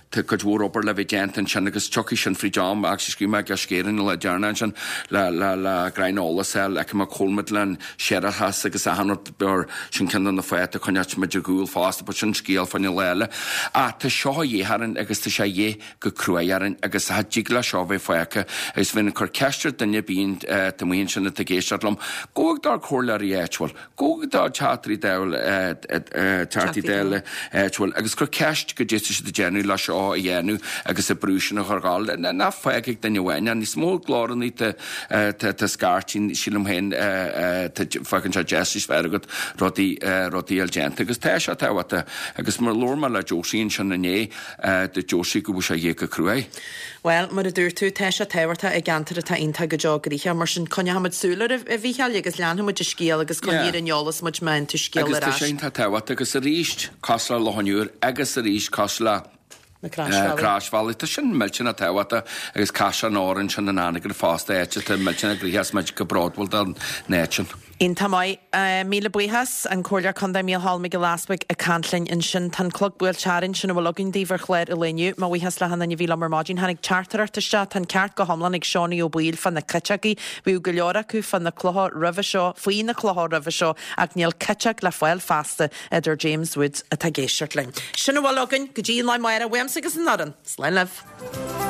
tá cuid mhór obair le bheith déanta ansin agus tiocfaidh sin fríd am actually scríobh mé ag Scéireann le deireanach ansin le le le greim eolas a fháil fheicfidh mé cá bhfuil muid len séarachas agus achan rud mar sin ceann de na fáthanna a choinneoidh muid ar gcúl fosta but sin scéal fá choinne lá eile. Ach tá seo a dhíth orainn agus tá sé a dhíth go cruaidh orainn agus cha dtig le seo bheith fágtha agus bheinn ag cur ceist ar duine ar bith atá amuigh ansin atá ag éisteacht liom, gabh ag do chomhairleoirí áitiúil, gabh ag do Teachtaí Dála Teachtaí Dála áitiúil agus cuir ceist goidé tá siad ag déanamh le seo a dhéanamh agus an brú sin a chur dhul. Ná fág ag duine amháin é, níos mó glóranna tá scairtín sílim féin fágann sé deis níos fearr agat rudaí rudaí a fháil déanta agus tá sé tábhachtach agus mar labhair mé le Josie ansin inné Dúirt Josie go bhfuil sé a dhíth go cruaidh. Bhuel, mar a dúirt tú, tá sé tábhachtach i gceantar atá iontach go deo gnoitheach. Mar sin, coinneochaimid súil air, a Mhícheáil, agus leanfaimid an scéal agus coinnigh ar an eolas muid má fhaigheann tú scéal ar ais. Agus tá sé iontach tábhachtach agus arís, cosúil le Loch an Iúir agus arís cosúil le na croisbhealaí. Croisbhealaí. Tá sin millteanach tábhachtach agus Caisleán Óir ansin in Anagaire fosta, áit atá millteanach gnoitheach is muid go bródúil den áit sin. Iontach maith. Míle buíochas. An Comhairleoir Contae Mícheál Mac Giolla Easbuig ag caint linn ansin. Tá an clog buailte orainn, sin a bhfuil againn daoibh ar chlár an lae inniu. Mo bhuíochas le hachan duine a bhí liom ar maidin. Tháinig teachtaireacht isteach, tá an ceart go hiomlán ag Seánie Ó Baoill fá na citeogaí. Bhíodh go leor acu fá na clocha roimhe seo, faoi na clocha roimhe seo, ach níl citeog le fáil feasta, a deir James Woods atá ag éisteacht linn. Sin a bhfuil againn go dtí an lá amárach, uaimse agus an fhoireann. Slán libh.